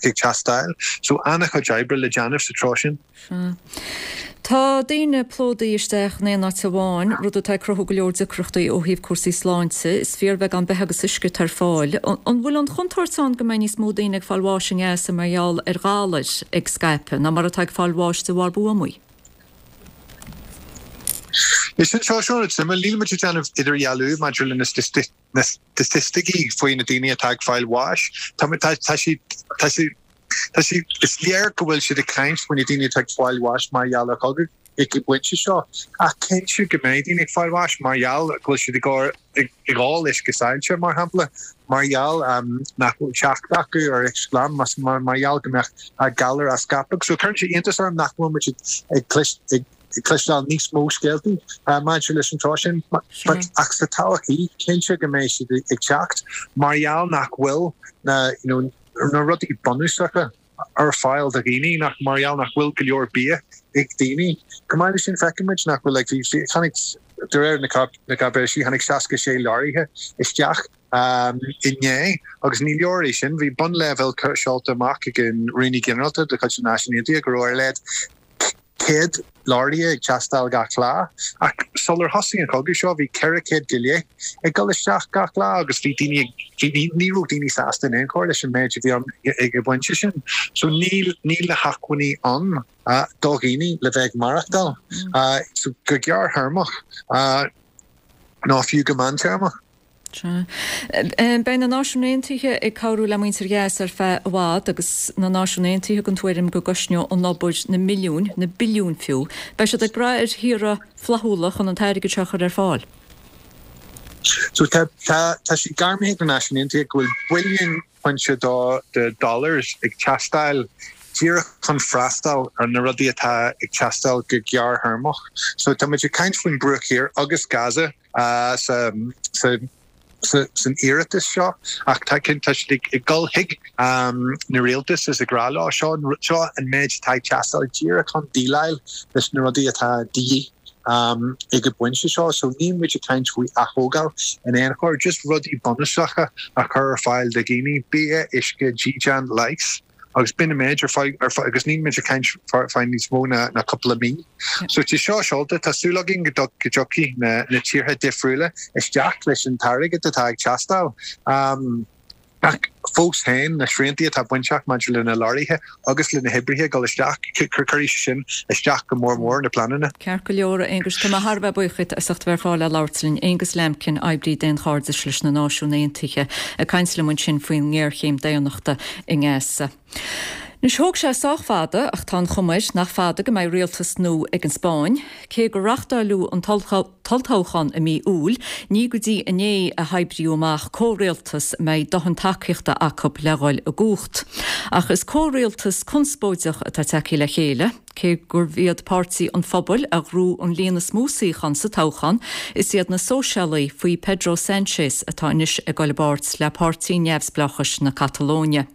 ag teastáil. So an-chuid oibre le déanamh sa treo sin. Sea. Tá daoine plódaithe isteach in aon áit amháin, rud atá ag cruthú go leor deacrachtaí ó thaobh cúrsaí sláinte. Is fíorbheagán beatha agus uisce atá ar fáil. An bhfuil an chontúirt ann go mbeidh níos mó daoine ag fáil bháis i nGaza mar gheall ar ghalair ag scaipeadh ná mar atá ag fáil bháis de bharr buamaí? Is sin seo seo rud suimiúil. Níl muid ag déanamh idirdhealú maidir le na na staitisticí faoi na daoine atá ag fáil bháis. Tá tá siad tá siad tá siad is léir go bhfuil siad ag caint faoi na daoine atá ag fáil bháis mar gheall ar chogadh ag an bpointe seo. Ach cinnte go mbeidh daoine ag fáil bháis mar gheall go bhfuil siad ag ag ól uisce saillte, mar shampla, mar gheall nach bhfuil teacht acu ar uisce glan, mar gheall go mbeadh galar á scaipeadh. So cuireann sé iontas orm nach bhfuil muid ag ag cloisteáil níos mó scéaltaí maidir leis an treo sin. Ach sa todhchaí, cinnte go mbeidh siad ag teacht mar gheall nach bhfuil na you know na rudaí bunúsacha ar fáil do dhaoine, nach mar gheall nach bhfuil go leor bia ag daoine. Chomh maith leis sin, feiceann muid nach bhfuil like bhí chonaic. de réir na cáipéisí, tháinig 66 leoraithe isteach inné agus ní leor é sin. Bhí bunleibhéal seolta amach ag an Rúnaí Ginearálta de chuid na Náisiún Aontaithe go raibh ar a laghad 100 leoraithe ag teastáil gach lá, ach sular thosaigh an cogadh seo bhí 400 go leith ag dul isteach gach lá agus bhí daoine ag, bhí, ní raibh daoine sásta in aon chor leis an méid a bhí ann ag an bpointe sin. So níl, níl na hacmhainní ann do dhaoine le bheith ag maireachtáil so go gearrthéarmach ná fiú go meántéarmach. Sea. Beidh na Náisiúin Aontaithe ag cabhrú le muintir Ghaza ar feadh i bhfad agus na Náisiúin Aontaithe den tuairim go gcosnóidh an obair na milliúin, na billiúin fiú. Beidh siad ag brath ar thíortha flaithiúla chun an t-airgead seo a chur ar fáil. So tá, tá, tá sé gairmithe ag na Náisiúin Aontaithe go bhfuil billiún pointe dó de dollars ag teastáil díreach chun freastal ar na rudaí atá ag teastáil go gearrthéarmach. So tá muid ag caint faoin Bruach Thiar agus Gaza. san iarratas seo ach tá siad ag dul chuig na rialtais is ag rá leo seo seo an méid atá ag teastáil díreach chun déileáil leis na rudaí atá de dhíth ag an bpointe seo. So níl muid ag caint faoi athógáil in aon chor, just rudaí bunúsacha a chur ar fáil do dhaoine, bia, uisce, dídean, leigheas. Agus b'in an méid ar feadh, ar feadh, agus níl muid ag caint fá níos mó ná, ná cúpla mí. So tá seo seolta, tá súil againn go dtiocfaidh na, na tíortha difriúla isteach leis an t-airgead atá ag teastáil. Ach fós féin, na sriantaí atá bainteach maidir le na leoraithe agus le na hoibrithe ag dul isteach, cuirfidh sé sin isteach go mór mór na pleananna. Ceart go leor, a Aonghuis, tá mé thar a bheith buíoch díot as ucht a bheith ar fáil le labhairt linn. Aonghus Lambkin, oibrí daonchairdis leis na Náisiúin Aontaithe, ag caint liom ansin faoin ngéarchéim daonnachta i nGaza. Anois, thóg sé sách fada, ach tá an chuma air nach fada go mbeidh rialtas nua ag an Spáinn. Cé gur reáchtáileadh an t-olltoghchán i mí Iúil, ní go dtí inné a hoibríodh amach comhrialtas a mbeidh dóthain tacaíochta acu le dhul i gcumhacht. Ach is comhrialtas conspóideach atá tagtha le chéile. Cé gurbh iad Páirtí an Phobail a ghnóthaigh an líon is mó suíochán sa toghchán, is iad na Sóisialaigh faoi Pedro Sánchez atá anois ag dul i bpáirt le Páirtí Neamhspleáchais na Catalóine.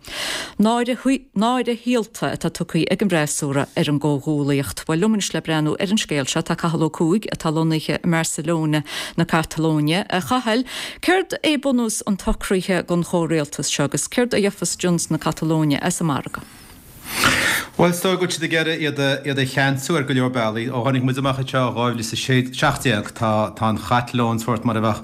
Náire náire shaolta atá tugtha ag an bhfreasúra ar an gcomhghuallaíocht. Bhuel, liom anois le breathnú ar an scéal seo tá Cathal Ó Cuaig atá lonnaithe i mBarcelona na Catalóine. A Chathail, céard é bunús an tsocraithe don chomhrialtas seo agus céard a gheofas Junts na Catalóine as an margadh? Bhuel, is dóigh go bhfuil siad ag iarraidh iad a, iad a cheansú ar go leor bealaí. Ó tháinig muid amach anseo i 2017, tá, tá an Chatalóin sórt mar a bheadh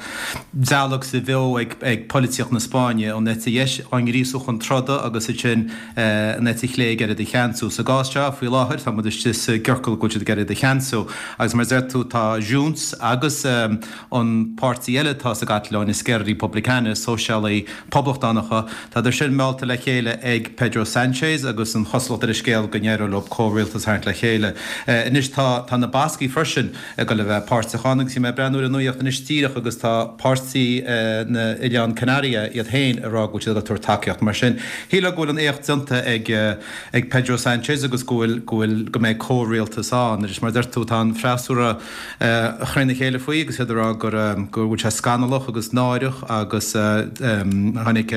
dealg sa bheo ag, ag polaitíocht na Spáinne, an eite dheis á ngríosú chun troda agus ansin an eite chlé ag iarraidh iad a cheansú. Sa gcás seo, faoi láthair, tá muid istigh sa gciorcal go bhfuil siad ag iarraidh iad a cheansú. Agus mar a deir tú, tá Junts agus an páirtí eile atá sa gCatalóin, Esquerra Republicana, Sóisialaigh Poblachtánacha, Tádar sin meallta le chéile ag Pedro Sánchez agus an chosúlacht ar an scéal go n-éireoidh leo comhrialtas a tharraingt le chéile. Anois tá tá na Bascaigh freisin ag dul a bheith páirteach ann agus bhí mé ag breathnú ar an nuaíocht anois díreach agus tá páirtí na Oileán Canaria iad féin ag rá go bhfuil siad ag tabhairt tacaíocht. Mar sin, shílfeá go bhfuil an éacht déanta ag ag Pedro Sánchez agus go bhfuil go bhfuil go mbeidh comhrialtas ann. Anois mar a deir tú tá an freasúra thrína chéile faoi agus iad ag rá gur go bhfuil sé scannalach agus náireach agus tháinig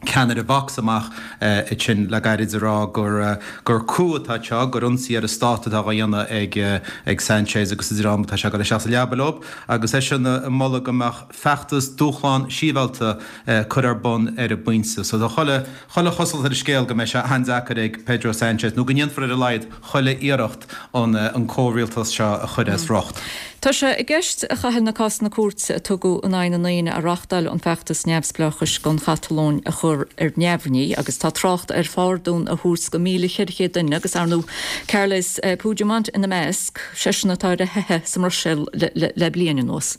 ceannaire Vox amach ansin le gairid ag rá gur gur coup atá anseo, gur ionsaí ar an stát atá á dhéanamh ag ag Sanchez agus a dhream atá sé ag dul isteach sa leaba leo agus eisean ag moladh go mbeadh feachtas dúshlán sibhialta curtha ar bun ar an bpointe. So tá chuile chuile chosúlacht ar an scéal go mbeidh sé an-deacair ag Pedro Sanchez nó go ndéanfar ar a laghad chuile iarracht an comhrialtas seo a chur as riocht. Tá sé i gceist, a Chathail, na cásanna cúirte a tugadh in aghaidh na ndaoine a reáchtáil an feachtas neamhspleáchais don Chatalóin a chur ar neamhní agus tá trácht ar phardún a thabhairt do 1,400 duine agus, ar ndóigh, Carles Puigdemont ina measc, seisean atá ar a theitheadh sa mBruiséil le bliain anuas.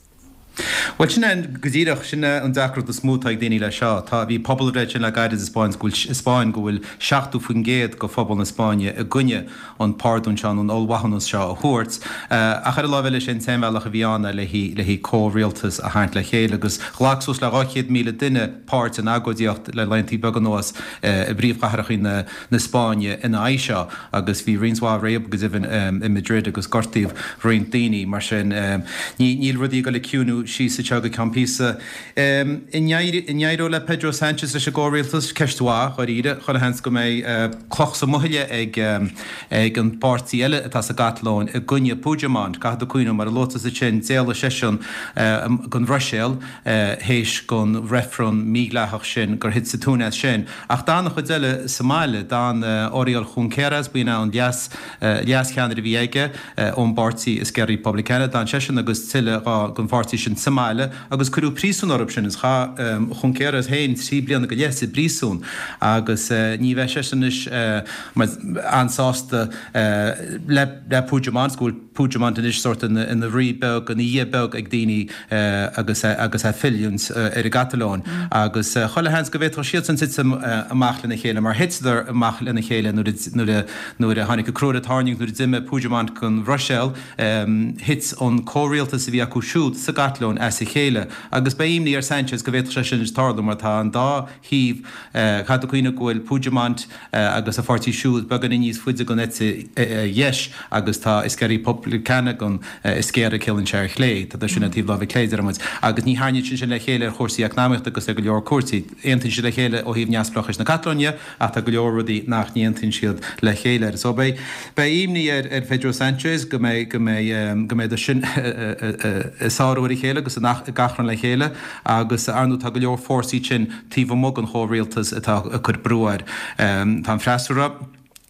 Bhuel, sin é go díreach, sin é an deacracht is mó atá ag daoine leis seo. Tá, bhí pobalbhreith ansin le gairid sa Spáinn go bhfuil, Spáinn go bhfuil 70% de phobal na Spáinne i gcoinne an pardún seo nó an ollmhaithiúnas seo a thabhairt. Ach ar an láimh eile, is é an t-aon bhealach a bhí ann le haghaidh, le haghaidh comhrialtas a tharraingt le chéile agus ghlac suas le 200,000 duine páirt in agóidíocht le laethanta beaga anuas i bpríomhchathracha na, na Spáinne ina aghaidh seo. agus bhí roinnt mhaith réabadh go deimhin i Madrid agus gortaíodh roinnt daoine. Mar sin, níl rudaí ag dul ag ciúnú. síos anseo go ceann píosa. An n-éireoidh le Pedro Sánchez leis an gcomhrialtas? Ceist mhaith, dháiríre. Chuile sheans go mbeidh cloch sa mbuaile ag ag an bpáirtí eile atá sa gCatalóin i gcoinne Puigdemont. Caithfidh tú cuimhneamh, mar a luaigh tusa ansin, d'éalaigh seisean gon Bhruiséil théis gon reifreann mídhleathach sin gur thit sa tóin as sin. Ach d'fhan an chuid eile sa mbaile. D'fhan Oriol Junqueras, b'in é an leas leas-cheannaire a bhí aige ón bpáirtí Esquerra Republicana. D'fhan seisean agus tuilleadh gon pháirtí sin sa mbaile agus cuireadh príosún orthu sin. Is chaith Junqueras féin 3 bliana go leith sa bpríosún agus ní bheidh seisean anois an-sásta le Puigdemont, go bhfuil Puigdemont anois sórt ina rí beag, ina dhia beag ag daoine agus é ag filleadh ar an gCatalóin. Agus chuile sheans go bhféadfadh siadsan titim amach lena chéile mar thiteadar amach lena chéile nuair a Nuair a tháinig an crú ar an tairngreacht, nuair a d'imigh Puigdemont gon Bhruiséil, thit an comhrialtas a bhí acu siúd sa gCatalóin as a chéile. Agus beidh imní ar Sanchez go bhféadfadh sé sin anois tarlú mar tá an dá thaobh, caithfidh tú cuimhneamh go bhfuil Puigdemont agus a pháirtí siúd beagáinín níos faide gon eite dheis agus tá Esquerra Republicana gon Esquerra, ciallaíonn sé ar chlé, tá sin ar taobh láimhe clé, deir muid. Agus ní thaitníonn sin sin le chéile ar chúrsaí eacnamaíochta agus ar go leor cúrsaí. Aontaíonn siad le chéile ó thaobh neamhspleáchais na Catalóine, Ach tá go leor rudaí nach n-aontaíonn siad le chéile air. So beidh, beidh imní ar, ar Pedro Sanchez go mbeidh, go mbeidh, go mbeidh sin ag sárú ar a chéile agus ag achrann le chéile agus ar ndóigh tá go leor fórsaí sin taobh amuigh den chomhrialtas atá ag cur brú air. Tá an freasúra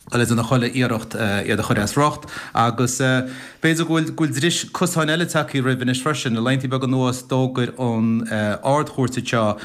ag déanamh chuile iarracht iad a chur as riocht agus b'fhéidir go bhfuil, go bhfuil dris cosáin eile tagtha roimhe anois freisin. Le laethanta beaga anuas d'fhógair an Ard-Chúirt anseo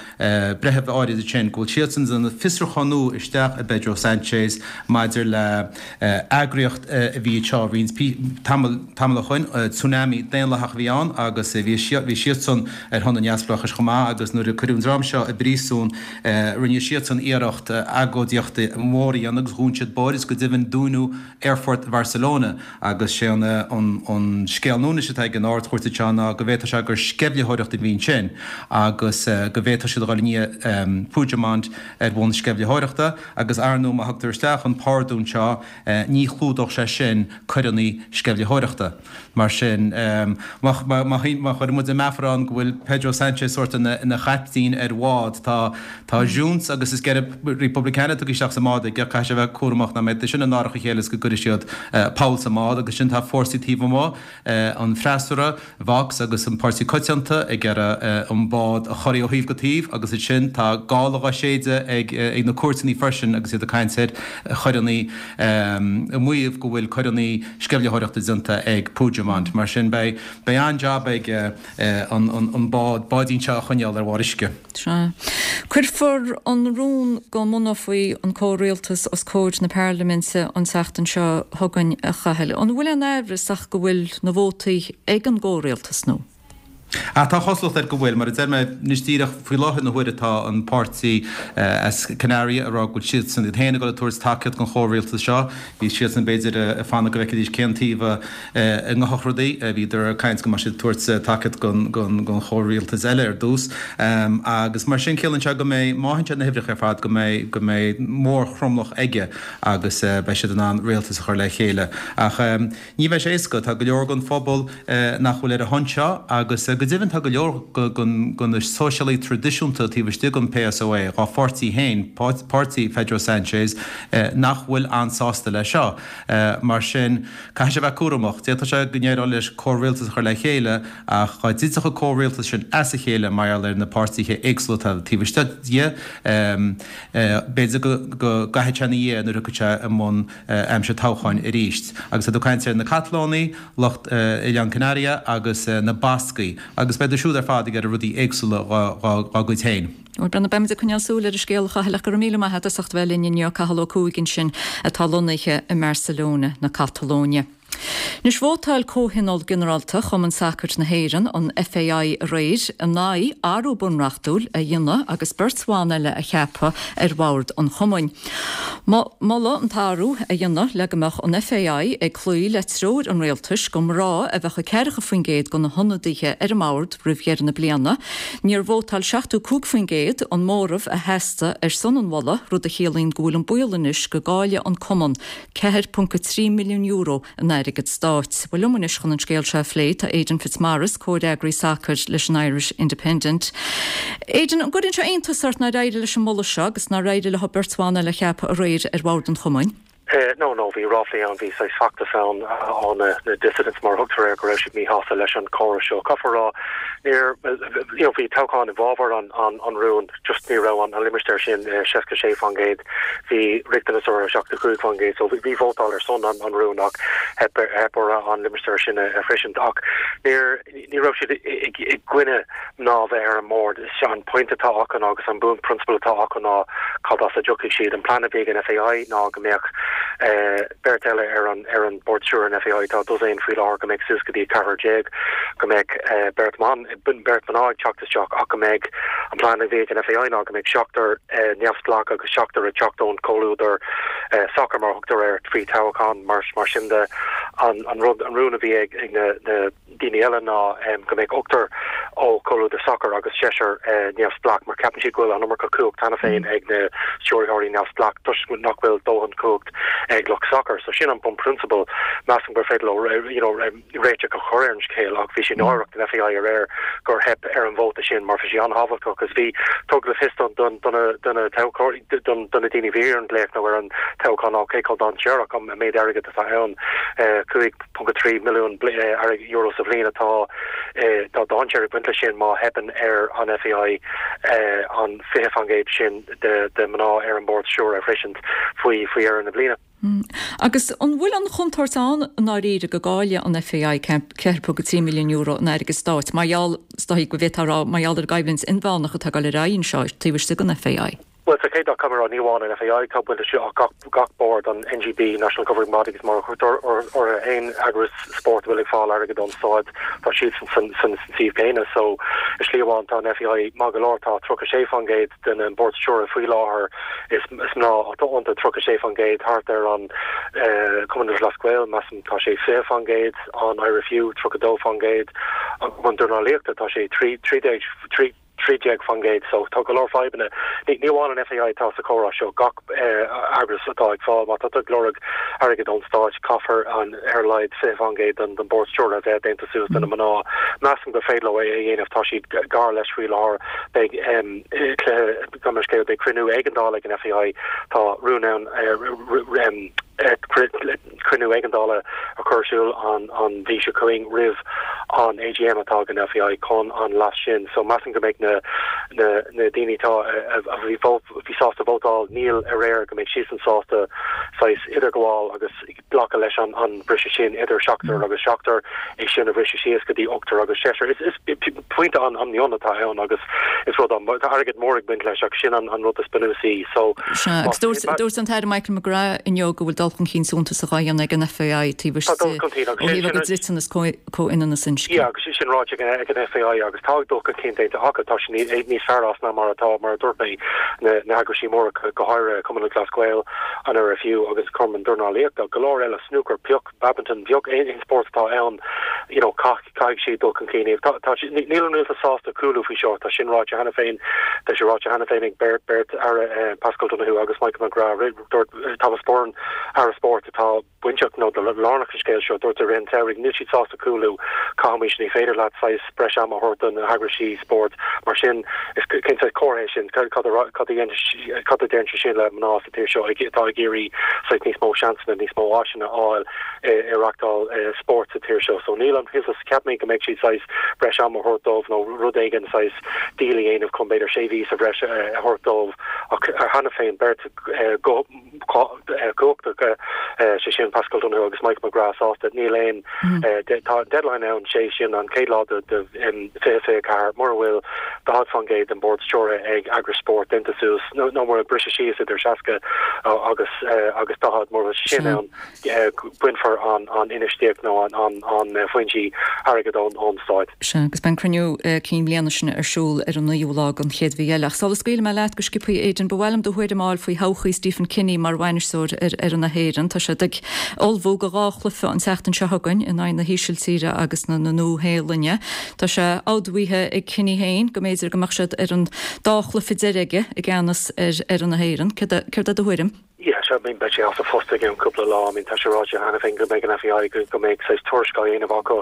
breitheamh áirid ansin go bhfuil siadsan ag déanamh fiosrúchán nua isteach i bPedro Sanchez maidir le eagraíocht a bhí anseo roinnt tamall tamall ó shoin, Tsunami Daonlathach a bhí ann agus bhí bhí siadsan ar shon an neamhspleáchais chomh maith agus nuair a cuireadh an dream seo i bpríosún rinne siadsan iarracht agóidíocht mhór a dhéanamh agus dhún siad bóithre is go deimhin dúnadh aerfort Bharcelona agus sé an an scéal nua anois atá ag an Ard-Chúirt anseo ná go bhféadfadh sé gur sceimhlitheoireacht a bhí ansin agus go bhféadfadh siad a dhul i ndiaidh Puigdemont ar bhonn sceimhlitheoireachta agus ar ndóigh má thugtar isteach an pardún seo ní chlúdódh sé sin coireanna sceimhlitheoireachta. Mar sin, má chuireann muid an meafar ann go bhfuil Pedro Sanchez sórt ina chaiptín ar bhád, tá tá Junts agus Esquerra Republicana tugtha isteach sa mbád aige, caithfidh sé a bheith cúramach nach mbeidh sin in árach a chéile is go gcuirfidh siad poll sa mbád agus sin tá fórsaí taobh amuigh an freasúra, Vox agus an Páirtí Coitianta ag iarraidh an bád a chorraí ó thaobh go taobh agus ansin tá gála dhá séideadh ag na cúirteanna freisin agus iad ag caint ar choireanna, ag maíomh go bhfuil coireanna sceimhlitheoireachta déanta ag Puigdemont. Mar sin beidh an-jab aige an bád, báidín seo a choinneáil ar bharr uisce. Sea. Cuirfear an rún go mbunófaí an comhrialtas os comhair na Parlaiminte an tseachtain seo chugainn, a Chathail. An bhfuil aon aimhreas ach go bhfuil na vótaí ag an gcomhrialtas nó? Ach tá cosúlacht air go bhfuil. Mar a deir mé, anois díreach faoi láthair na huaire tá an páirtí as Canaria ag rá go bhfuil siadsan iad féin ag dul ag tabhairt tacaíocht don chomhrialtas seo. Bhí siadsan b'fhéidir ag fanacht go bhfeicfidís cén taobh a ngabhfadh rudaí. Bhíodar ag caint go mbeadh siad ag tabhairt tacaíocht don chomhrialtas eile ar dtús. Agus mar sin ciallaíonn sé go mbeidh, má fhaigheann siad na huimhreacha ar fad, go mbeidh, go mbeidh mórthromlach aige agus beidh siad in ann rialtas a chur le chéile. Ach ní bheidh sé éasca. Tá go leor den phobal nach bhfuil ar a shon seo agus go deimhin tá go leor de na sóisialaigh traidisiúnta taobh istigh den PSOE, dhá pháirtí féin, páirtí Pedro Sanchez, nach bhfuil an-sásta leis seo. Mar sin, caithfidh sé a bheith cúramach. D'fhéadfadh sé go n-éireodh leis comhrialtas a chur le chéile ach dá dtitfeadh an comhrialtas sin as a chéile mar gheall ar na páirtithe éagsúla atá taobh istigh dhe, b'fhéidir go gcaithfidh sé ina dhiaidh nuair a thiocfaidh sé i mbun aimsir toghcháin arís. Agus tá tú ag caint ar na Catalónaigh, lucht Oileáin Canaria agus na Bascaigh agus beidh siad siúd ar fad ag iarraidh rudaí éagsúla dhá gcuid féin. Bhuel, beimid ag coinneáil súil ar an scéal, a Chathail, ach go raibh míle maith agat as ucht a bheith linn inniu, Cathal Ó Cuaig ansin, atá lonnaithe i mBarcelona na Catalóine. Anois, vótáil Comhthionól Ginearálta Chumann Sacair na hÉireann, an FAI, aréir in aghaidh athrú bunreachtúil a dhéanamh agus beirt bhan eile a cheapadh ar bhord an chumainn. Moladh an t-athrú a dhéanamh le go mbeadh an FAI ag cloí le treoir an rialtais gur mná a bheadh ag 40% de na hionadaithe ar an mbord roimh dheireadh na bliana. Níor vótáil 75%, an móramh a theastaigh, ar son an mholadh, rud a chiallaíonn go bhfuil an baol anois go gcaillfidh an cumann €4.3 milliún in airgead. airgead stáit. Bhuel liom anois chun an scéal seo a phlé tá Aidan Fitzmaurice, comhfhreagraí sacair leis an Irish Independent. Aidan, an gcuireann sé iontas ort nár éirigh leis an moladh seo agus nár éirigh leo beirt bhan eile a cheapadh aréir ar bhord an chumainn? No, no, bhí ráflaí ann, bhí saghas feachtas ann ó na dissidents mar a thugtar air go raibh siad míshásta leis an chóras seo. Caithfear a rá, níor, you know, bhí toghchán i bhfabhar an, an, an rúin, just ní raibh an, an limistéar sin 66%, bhí riachtanas orthu 75%, so bhí vótáil ar son an, an rúin ach theip, theip orthu an limistéar sin a shroisint. Ach níor, ní raibh siad i gcoinne mná a bheith ar an mbord. Is é an pointe atá acu ná, agus an bunphrionsabal atá acu ná cad as a dtiocfaidh siad. An plean a bhí ag an FAI ná go mbeadh beirt eile ar an ar an bord stiúrtha an FAI, tá dosaen faoi láthair, go mbeadh suas go dtí ceathrar déag, go mbeadh beirt mban, beirt mná ag teacht isteach ach go mbeadh, an plean a bhí ag an FAI ná go mbeadh seachtar neamhspleách agus seachtar ag teacht ón chomhluadar sacair mar a thugtar air faoi toghchán. Mar sin de, an rud, an rún a bhí ag na daoine eile ná go mbeadh ochtar ó chomhluadar sacair agus seisear neamhspleách, mar ceapann siad go bhfuil an iomarca cumhacht cheana féin ag na stiúrthóirí neamhspleách toisc nach bhfuil dóthain cumhacht ag lucht sacair. So sin an bunphrionsabal. Measaim gur féidir leo you know réiteach a chur ar an scéal ach bhí sé náireach don FAI aréir gur theip ar an vóta sin mar bhí sé an-thábhachtach agus bhí tugadh le fios don do na do na toghthóirí don do na daoine a bhí ar an nglaoch nó ar an toghchán ná cé chomh dainséarach an méid airgid atá ann 5.3 milliún euro sa bhliain atá tá dainséar ag baint leis sin má theipeann ar an FAI an 20% sin de de mná ar an bord stiúrtha a shroisint faoi faoi dheireadh na bliana. Agus an bhfuil an chontúirt ann i ndáiríre go gcaillfidh an FAI €4.3 milliún in airgead stáit mar gheall, is dóigh go bhféadfá a rá, mar gheall ar an gcoimhlint inmheánach atá ag dul ar aghaidh anseo taobh istigh den FAI? Bhuel, sa chéad dul caithfidh mé a rá, ní amháin an FAI atá baint leis seo ach gach, gach bord, an NGB, National Governing Body agus mar a thugtar orthu, aon eagras spóirt a bhfuil ag fáil airgead ón stáit, tá siadsan san, san, san suíomh céanna. So, i slí amháin tá an FAI maith go leor, tá 36% den bord stiúrtha faoi láthair, Is mná atá iontu, 36% thart ar an Cumann Lúthchleas Gael, measaim tá sé 20%, an IRFU 32%, an Cumann Dornálaíochta tá sé 13, 13% so tá go leor fadhbanna. Ní amháin an FAI atá sa chomhrá seo, gach eagras atá ag fáil, má tá tú ag lorg airgead ón stáit, caithfear an ar a laghad 20% den bord stiúrtha a bheith déanta suas de na mná. Measaim gur féidir leo é a dhéanamh, tá siad gar leis faoi láthair. Beidh cluiche. Gabh mo leithscéal, beidh cruinniú éigeandála ag an FAI. Tá rún ann cruinniú éigeandála a chur ar siúl an mhí seo chugainn roimh an AGM atá ag an FAI chun an leas sin. So measaim go mbeidh na na daoine atá a bhí bhí sásta vótáil níl aréir go mbeidh siadsan sásta saghas idirghabháil agus glacadh leis an briseadh sin idir seachtar agus seachtar, é sin a bhriseadh síos go dtí ochtar agus seisear. Is pointe an-mhion atá ann agus is rud an, tá airgead mór ag baint leis ach sin an rud is bunúsaí. So, Sea, agus dúirt an tAire Michael McGrath inniu go bhfuil dul chun cinn suntasach á dhéanamh ag an FAI taobh istigh ó thaobh a gcuid dliteanas comhionannas inscne. Yeah, agus sin ráite ag an FAI agus tá dul chun cinn déanta acu, tá siad níos fearr as ná mar atá, mar a dúirt mé, na heagraisí móra, go háirithe Cumann Lúthchleas Gael, an IRFU agus Cumann Dornálaíochta, go leor eile, snúcar, pioc, badminton, pioc, aon spórt atá ann, you know, caithfidh siad dul chun cinn. Tá, tá, níl an rialtas sásta cúlú faoi seo, tá sin ráite cheana féin, tá sé ráite cheana féin ag beirt, beirt aire, Paschal Donohoe agus Michael McGrath, dúirt Thomas Byrne, Aire Spóirt atá bainteach nó lárnach sa scéal seo, dúirt i rith an tsamhraidh, níl siad sásta cúlú, caithfimid, ní féidir leat saghas breis ama a thabhairt do na heagraisí spóirt mar sin, is cén saghas comhartha é sin, cad a cad a cad a deireann sé sin le mná sa tír seo atá ag iarraidh saghas níos mó seansanna, níos mó áiseanna a fháil i reachtáil spóirt sa tír seo. So níl an rialtas, cheap mé go mbeadh siad saghas breis ama a thabhairt dóibh nó rud éigin saghas deal a dhéanamh chun b'fhéidir sé mhí sa bhreis a thabhairt dóibh ach cheana féin beirt go cumhachtach, sé sin Paschal Donohoe agus Michael McGrath sásta. Níl aon, tá deadline ann, sé sin an chéad lá de 2024, mura bhfuil 40% den bord stiúrtha ag eagrais spóirt déanta suas, nó mura briseadh síos idir 60 agus agus 40, mura bhfuil sé sin ann. bainfear an infheistíocht nó an foinsí airgid ón Stát. Sea, agus beidh an cruinniú cinn bliana sin ar siúl ar an naoú lá den chéad mhí eile. Ach sula scaoilfidh mé leat go sciobtha, Aidan, ba mhaith liom do thuairim a fháil faoi thodhchaí Stephen Kenny mar bhainisteoir ar fhoireann na hÉireann. Tá siad ag ullmhú do dhá chluiche an tseachtain seo chugainn in aghaidh na hÍsiltíre agus na Nua-Shéalainne. Tá sé admhaithe ag Kenny féin go mb'fhéidir go mbeadh siad ar an dá chluiche deiridh aige i gceannas ar fhoireann na hÉireann. Céard é do thuairim? Yeah, sure, I mean, beidh sé as a phost i gceann cúpla lá. I mean, tá sé ráite cheana féin go mbeidh an FAI, go, go mbeidh saghas tuairisc á dhéanamh acu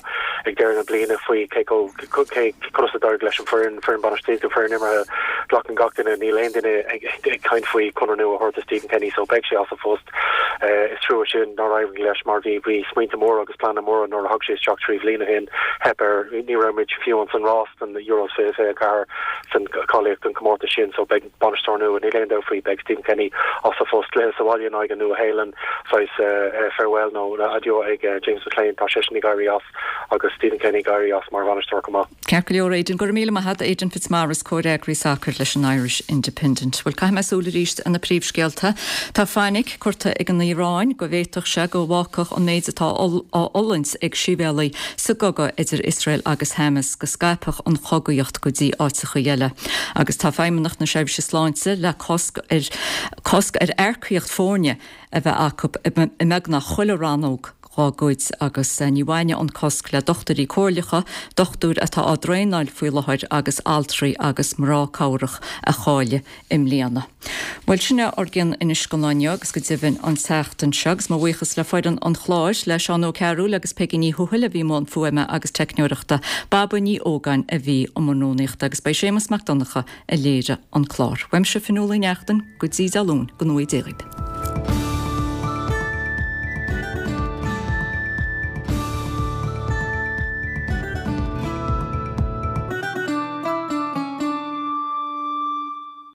ag deireadh na bliana faoi cé chomh, cé, conas a d'éirigh leis an foireann, foireann bainistíochta, foireann imeartha. Glacann gach duine, níl aon duine ag, ag caint faoi conradh nua a thabhairt do Stephen Kenny, so beidh sé as a phost. Is trua sin nár éirigh leis mar bhí, bhí smaointe móra agus pleananna móra nuair a thug sé isteach 3 bhliain ó shin. Theip air, ní raibh muid fiú ins an rás don Euros 2024 san cáilíocht don comórtas sin, so beidh. Bainisteoir nua, níl aon dabht faoi, beidh Stephen Kenny as a phost. Cluiche sa bhaile in aghaidh an Nua-Shéalainn, saghas farewell nó adieu ag James McClean, tá seisean ag éirí as agus Stephen Kenny ag éirí as mar bhainisteoir chomh maith. Ceart go leor Aidan, go raibh míle maith agat, Aidan Fitzmaurice, comhfhreagraí sacair leis an Irish Independent. Bhuel, caithfidh mé súil arís ar na príomhscéalta. Tá fainic curtha ag an Iaráin go bhféadfadh sé go bhfágfadh an méid atá á fhulaingt ag sibhialaigh sa gcogadh idir Iosrael agus Hamas go scaipfeadh an chogaíocht go dtí áiteacha eile. Agus tá Feidhmeannacht na Seirbhíse Sláinte le cosc ar cosc ar earcaíocht foirne a bheith acu i mbeagnach chuile rannóg dhá gcuid agus ní bhainfidh an cosc le dochtúirí comhairleacha, dochtúir atá á dtraenáil faoi láthair agus altraí agus mná cabhrach a cháiligh i mbliana. Bhuel, sin é ár gcion anois don lá inniu agus go deimhin an tseachtain seo agus mo bhuíochas le foireann an chláir, le Seán Ó Cearúil agus Peigí Ní Thuathail a bhí i mbun fuaime agus teicneoireachta, Baba Ní Ógáin a bhí i mbun rúnaíochta agus ba é Séamus Mac Donncha a léirigh an clár. Uaimse Fionnuala Uí Neachtain, go dtí Dé Luain, go ngnóthaí Dé dhaoibh.